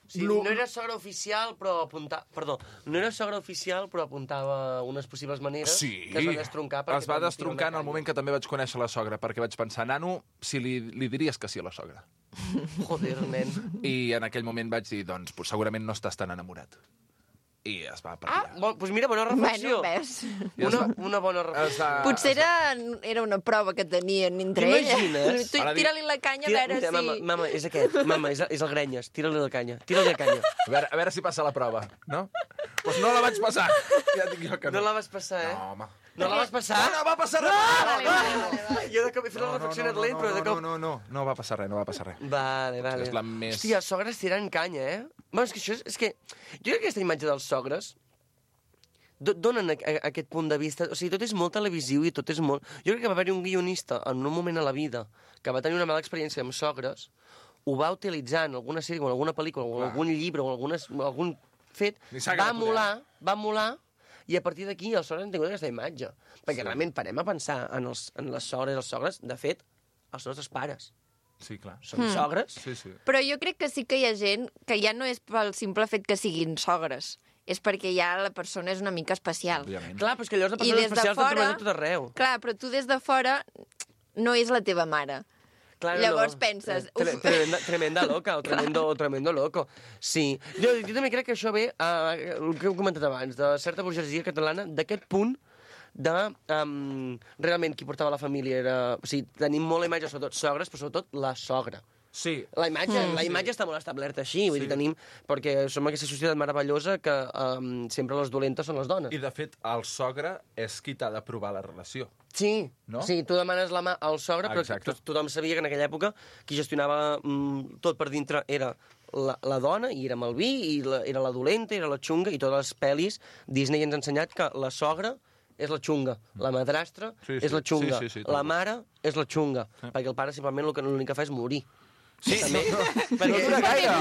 Sí, no era sogra oficial, però apuntava... Perdó, no era sogra oficial, però apuntava unes possibles maneres Sí, que es va destroncar. es va destroncar en el moment que també vaig conèixer la sogra, perquè vaig pensar, nano, si li diries que sí a la sogra. Joder, nen. I en aquell moment vaig dir, doncs, segurament no estàs tan enamorat. I es va per allà. Doncs mira, bona reflexió. Bueno, ves. Una bona reflexió. Potser era una prova que tenien entre elles. T'imagines? Tira-li la canya a veure si... Mama, és aquest. Mama, és el Grenyes. Tira-li la canya. A veure si passa la prova, no? Doncs no la vaig passar. Ja dic jo que no. No la vas passar, eh? No, home. No la vas passar? No va passar res. Jo de cop he fet la reflexió net lent, però de cop... No va passar res, no va passar res. Vale. És la més... Hòstia, els sogres tiren canya, eh? Bueno, és que això és que... Jo crec que aquesta imatge dels sogres donen aquest punt de vista... O sigui, tot és molt televisiu i tot és molt... Jo crec que va haver-hi un guionista en un moment a la vida que va tenir una mala experiència amb sogres, ho va utilitzar en alguna sèrie, o en alguna pel·lícula, o en algun llibre, o en algun fet, va molar, i a partir d'aquí els sogres han tingut aquesta imatge. Perquè realment parem a pensar en les sogres i els sogres, de fet, els nostres pares. Sí, clar. Són sogres. Sí. Però jo crec que sí que hi ha gent que ja no és pel simple fet que siguin sogres, és perquè ja la persona és una mica especial. Òbviament. Clar, però és que llavors les persones especials t'han trobat tot arreu. Clar, però tu des de fora no és la teva mare. Clar, Llavors penses... Tremenda loca, o tremendo loco. Sí. Jo també crec que això ve, el que hem comentat abans, de certa burgesia catalana, d'aquest punt de... realment qui portava la família era... O sigui, tenim molt la imatge, sobretot sogres, però sobretot la sogra. Sí. La imatge està molt establerta així, vull dir, tenim... Perquè som aquesta societat meravellosa que sempre les dolentes són les dones. I, de fet, el sogre és qui t'ha d'aprovar la relació. Sí, no? Sí, tu demanes la mà al sogre, però tothom sabia que en aquella època qui gestionava tot per dintre era la dona, i era amb el vi, i era la dolenta, era la xunga, i totes les pel·lis Disney ens ha ensenyat que la sogra és la xunga, la madrastra és la xunga, la mare és la xunga, perquè el pare simplement l'únic que fa és morir. Sí, no dura gaire.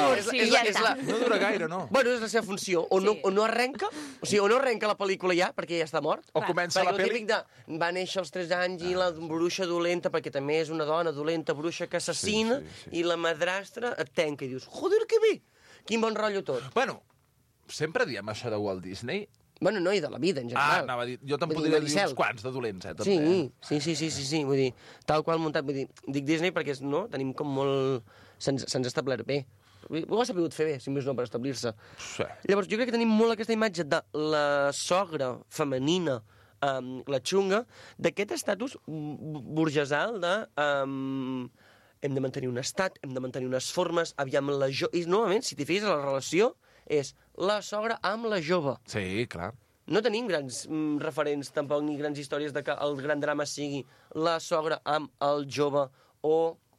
No dura gaire, no. Bueno, és la seva funció. O no arrenca, o sigui, o no arrenca la pel·lícula ja, perquè ja està mort. O comença la pel·li... Perquè el típic de va néixer als 3 anys i la bruixa dolenta, perquè també és una dona dolenta, bruixa que assassina, i la madrastra et tenca i dius, joder, que bé! Quin bon rotllo tot. Bueno, sempre diem això de Walt Disney. Bueno, no, i de la vida, en general. Anava a dir, jo te'n podria dir uns quants de dolents, també. Sí, vull dir, tal qual muntat, vull dir, dic Disney perquè tenim com molt... Se'ns ha establert bé. Ho ha sabut fer bé, si més no, per establir-se. Sí. Llavors, jo crec que tenim molt aquesta imatge de la sogra femenina, la xunga, d'aquest estatus burgesal de... hem de mantenir un estat, hem de mantenir unes formes, aviam la jove... I, novament, si t'hi fixes, la relació és la sogra amb la jove. Sí, clar. No tenim grans referents, tampoc, ni grans històries de que el gran drama sigui la sogra amb el jove o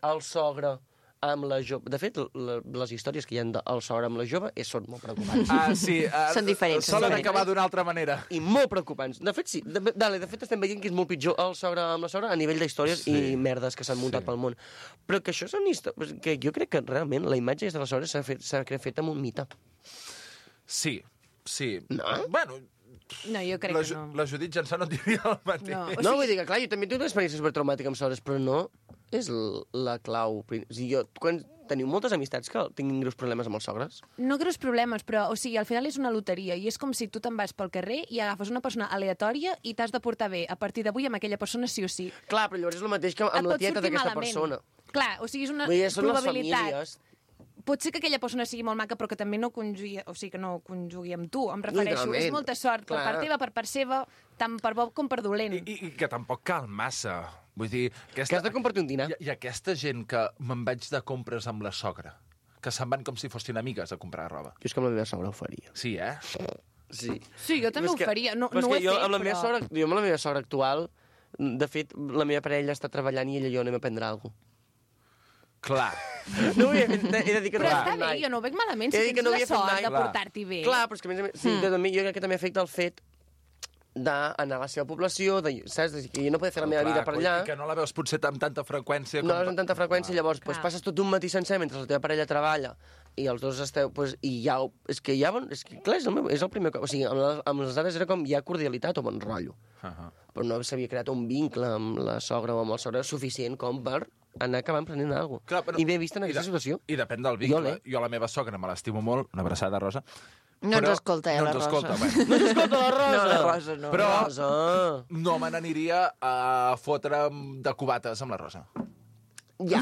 el sogre amb la jove. De fet, les històries que hi ha del sogre amb la jove són molt preocupants. Sí. Són diferents. Solen acabar d'una altra manera. I molt preocupants. De fet, sí. De fet, estem veient que és molt pitjor el sogre amb la sogra a nivell d'històries i merdes que s'han muntat pel món. Però que això són històries... Que jo crec que realment la imatge de la sogra s'ha fet amb un mite. Sí. No? Bueno... No, jo crec que no. La Judit Jansà no diria el mateix. No, vull dir que, clar, jo també tinc una experiència supertraumàtica amb sogres, però no és la clau. O sigui, quan teniu moltes amistats que tinguin greus problemes amb els sogres? No greus problemes, però, o sigui, al final és una loteria i és com si tu te'n vas pel carrer i agafes una persona aleatòria i t'has de portar bé a partir d'avui amb aquella persona sí o sí. Clar, però llavors és el mateix que amb la tieta d'aquesta persona. Clar, o sigui, és una probabilitat. Pot ser que aquella persona sigui molt maca, però que també no conjugui, o sigui, que no conjugui amb tu, em refereixo. És molta sort, per part teva, per part seva, tant per bo com per dolent. I que tampoc cal massa. Vull dir... Que has de compartir un dinar. I aquesta gent que me'n vaig de compres amb la sogra, que se'n van com si fossin amigues a comprar roba. Jo és que amb la meva sogra ho faria. Sí, eh? Sí. Sí, jo també ho faria. No ho he fet, jo amb la meva sogra actual, de fet, la meva parella està treballant i ella i jo anem a prendre alguna cosa. Clar. No ho he de dir que però està bé, jo no ho veig malament, si tens la sort de portar-t'hi bé. Clar, però és que a més a més, jo crec que també afecta el fet d'anar a la seva població, saps? Que jo no poder fer la meva vida per allà. I que no la veus potser amb tanta freqüència. No la veus amb tanta freqüència, llavors passes tot un matí sencer mentre la teva parella treballa i els dos esteu... I ja... És que clar, és el primer cop. O sigui, amb les dades era com ja cordialitat o bon rotllo. Però no s'havia creat un vincle amb la sogra o amb el sogre suficient com per anar acabant prenent alguna cosa. I m'he vist en aquesta situació. I depèn del vincle. Jo la meva sogra me l'estimo molt, una abraçada, Rosa. No ens escolta, la Rosa. No ens escolta, la Rosa. No, la Rosa no. Però no me n'aniria a fotre de cubates amb la Rosa. Ja.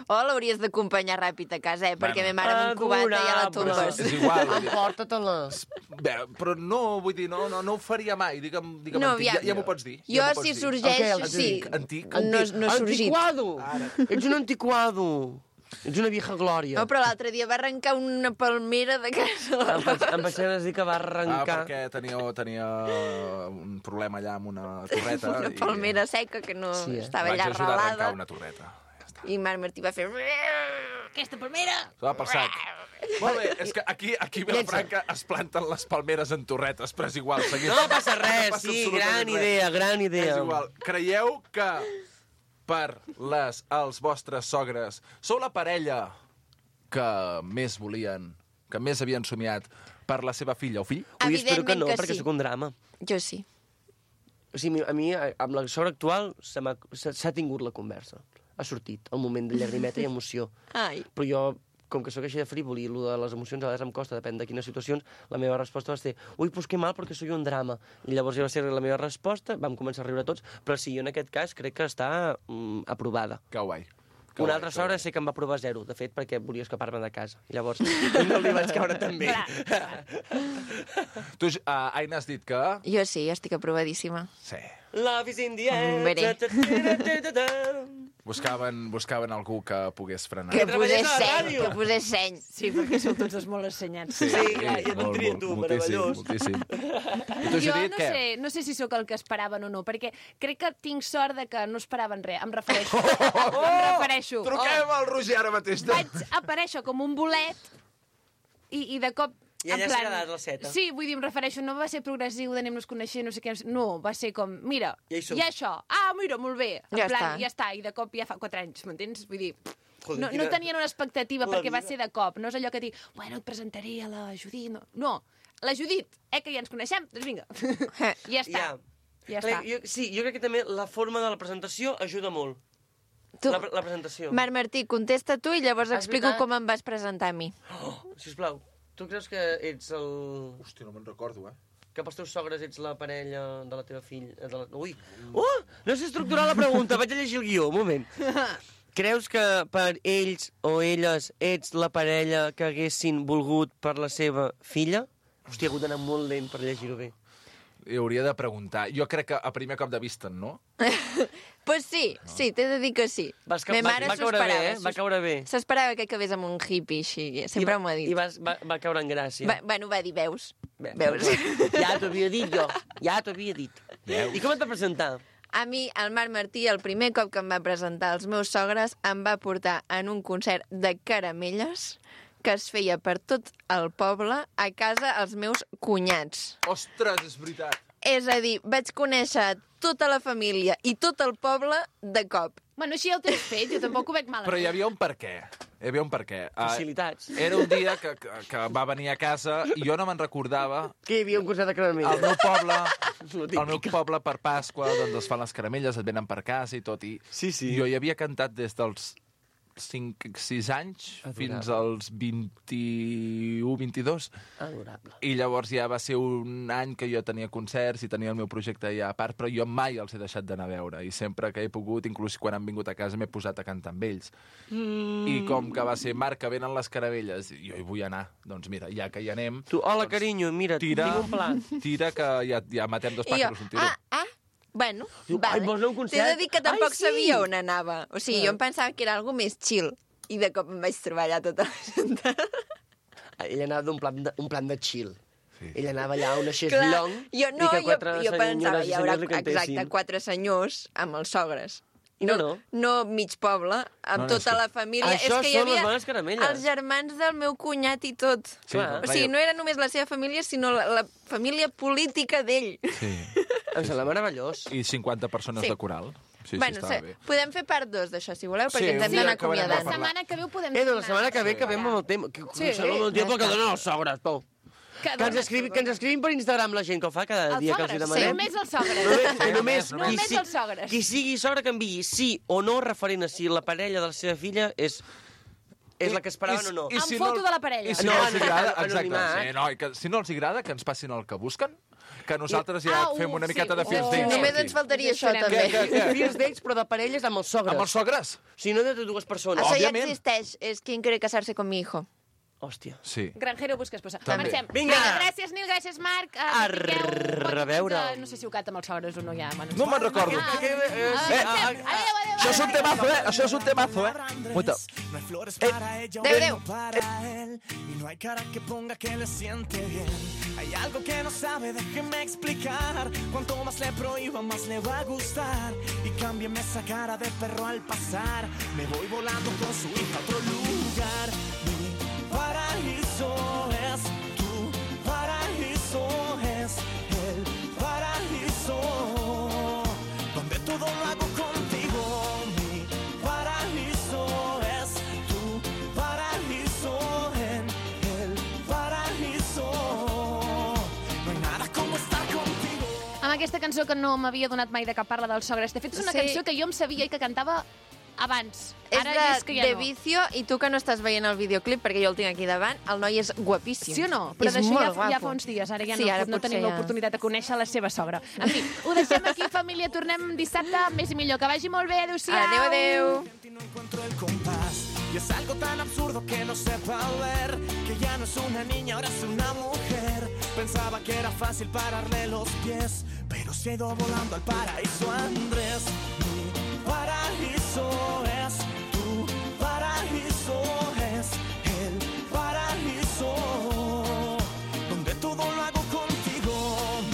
O l'hauries d'acompanyar ràpid a casa, perquè ma mare amb un cubata ja la tombes. És igual. Emporta-te-la. Bé, però no, vull dir, no ho faria mai. Digue'm no, antic, ja m'ho pots dir. Jo, si sorgeix, sí. Antic. No sorgit. Antiquado. Ets un antiquado. Ets una vieja glòria. No, però l'altre dia va arrencar una palmera de casa. Em vaig dir que va arrencar... perquè tenia un problema allà amb una torreta. Una palmera seca que no estava allà Vaig ajudar a arrencar arrelada. una torreta. I Marc Martí va fer... Aquesta palmera! Se va pel sac. Molt bé, és que aquí a Vilafranca es planten les palmeres en torretes, però és igual. No passa res, sí, gran idea. És igual. Creieu que per els vostres sogres sou la parella que més volien, que més havien somiat per la seva filla o fill? Ui, espero que no, Evidentment que perquè sí. sóc un drama. Jo sí. O sigui, a mi, amb la sogra actual, s'ha tingut la conversa. Ha sortit el moment de llagrimeta i emoció. Ai. Però jo, com que sóc així de frívol i el de les emocions a vegades em costa, depèn de quines situacions, la meva resposta va ser ui, pues que mal, perquè soy un drama. I llavors ja va ser la meva resposta, vam començar a riure tots, però sí, jo en aquest cas crec que està aprovada. Que guai. Una altra sogra sé que em va provar 0, de fet, perquè volia escapar-me de casa. I llavors no li vaig caure tan bé. Tu, Aina, has dit que... Jo sí, estic aprovadíssima. Sí. Love is in the air. Veré. Buscaven algú que pogués frenar. Que posés seny. Sí, perquè sou tots els molt assenyats. Sí, clar, i et tria tu, meravellós. Moltíssim. I tu, Jo Judit, què? no sé si sóc el que esperaven o no, perquè crec que tinc sort de que no esperaven res. Em refereixo. Truquem al Roger ara mateix. Vaig aparèixer com un bolet i de cop... I allà s'ha quedat la seta. Sí, vull dir, em refereixo, no va ser progressiu d'anem-nos coneixent, no sé què... No, va ser com, mira, Ja hi som. i això. Ah, mira, molt bé. En Ja plan, està. ja està. I de cop ja fa 4 anys, m'entens? Vull dir... Joder, No quina- tenien una expectativa la perquè va vida. ser de cop. No és allò que dic, bueno, et presentaré a la Judit. No, la Judit, que ja ens coneixem, doncs vinga. Ja està. Ja està. Jo crec que també la forma de la presentació ajuda molt. Tu, La presentació. Marc Martí, contesta tu i llavors És explico veritat. com em vas presentar a mi. Sisplau, tu creus que ets el... Hòstia, no me'n recordo, Que pels teus sogres ets la parella de la teva filla... Ui! No sé estructurar la pregunta, vaig a llegir el guió, un moment. Creus que per ells o elles ets la parella que haguessin volgut per la seva filla? Hòstia, he hagut d'anar molt lent per llegir-ho bé. I hauria de preguntar. Jo crec que a primer cop de vista, no? Pues sí, t'he de dir que sí. Va caure bé, Va caure bé. S'esperava que acabés amb un hippie així, sempre m'ho ha dit. I va caure en gràcia. Bueno, va dir, veus? Veus? Ja t'ho havia dit jo, ja t'ho havia dit. I com et va presentar? A mi, el Marc Martí, el primer cop que em va presentar als meus sogres, em va portar en un concert de caramelles que es feia per tot el poble a casa els meus cunyats. Ostres, és veritat. És a dir, vaig conèixer tota la família i tot el poble de cop. Bueno, així el tens fet, jo tampoc ho veig malament. Però hi havia un per què. Facilitats. Era un dia que va venir a casa i jo no me'n recordava. Que hi havia un concert de caramelles. Al meu poble per Pasqua, doncs es fan les caramelles, et venen per casa i tot. I jo hi havia cantat des dels 5-6 anys fins als 21-22. Adorable. I llavors ja va ser un any que jo tenia concerts i tenia el meu projecte ja a part, però jo mai els he deixat d'anar a veure. I sempre que he pogut, inclús quan han vingut a casa, m'he posat a cantar amb ells. I com que va ser Marc, que venen les caramelles, jo hi vull anar. Doncs mira, ja que hi anem... Tu, hola, carinyo, mira, tinc un pla. Tira, que ja matem dos pájaros un tiro. Bueno, Ai, vols anar a un concert? T'he de dir que tampoc Ai, sí. sabia on anava. O sigui, jo em pensava que era algo més chill. I de cop em vaig trobar allà tota la gent. Ell anava d'un plan de chill. Sí. Ell anava allà a una Clar, xeslong jo pensava, hi haurà li exacte 4 senyors amb els sogres. No mig poble, amb tota la família. Això és que hi són les havia bones caramelles. els germans del meu cunyat i tot. Sí, o sigui, no era només la seva família, sinó la família política d'ell. Sí. Em sembla meravellós. I 50 persones de coral. Sí, bueno, estava bé. podem fer part 2 d'això, si voleu, perquè Sí, ens hem un dia d'anar acabarem de acomiadant. La setmana que ve ho podem La setmana que ve acabem amb el tema. Sí. Amb el tempo que donen els sogres, Pau. Que ens escrivin per Instagram la gent que ho fa cada dia que els hi demanem. Només els sogres. Només els sogres. Qui sigui sogra que enviï sí o no referent a si la parella de la seva filla és la que esperaven o no. Amb foto de la parella. I si no els agrada, anonimat. exacte. Sí, no, i que, si no els agrada, que ens passin el que busquen, que nosaltres ja fem una miqueta de first dates. Només ens faltaria això, també. First dates, però de parelles amb els sogres. Amb els sogres? Si no, de dues persones. Això ja Òbviament. existeix. És quien quiere casarse con mi hijo. Hòstia. Sí. Granjero busca esposa. També. Marxem. Vinga. Gràcies, Nil, gràcies, Marc. A reveure. No sé si ho canta amb els sogres o no, ja. Bueno, No me'n recordo. Això és un temazo, Això és un temazo, Muita. Adéu. Para él y no hay cara que ponga que le siente bien. Hay algo que no sabe, déjeme explicar. Cuanto más le prohíba, más le va a gustar. Y cámbiame esa cara de perro al pasar. Me voy volando con su hija a otro lugar. Mi paraíso es tu paraíso, es el paraíso donde todo lo hago contigo. Mi paraíso es tu paraíso, en el paraíso no hay nada como estar contigo. Amb aquesta cançó que no m'havia donat mai de cap parla dels sogres. De fet, és una cançó que jo em sabia i que cantava abans. És Ara és que ja de no. Vicio, i tu que no estàs veient el videoclip, perquè jo el tinc aquí davant, el noi és guapíssim. Sí o no? Però és d'això molt ja guapo. fa uns dies, ara ja Sí, no, ara no potser tenim ja. l'oportunitat de conèixer la seva sogra. En fi, ho deixem aquí, família. Tornem dissabte, més i millor. Que vagi molt bé. Adéu-siau. Adéu, adéu. No encuentro el compás y es algo tan absurdo que no sepa ver que ya no es una niña, ahora es una mujer. Pensaba que era fácil pararle los pies, pero se ha ido volando al paraíso Andrés. Mi paraíso es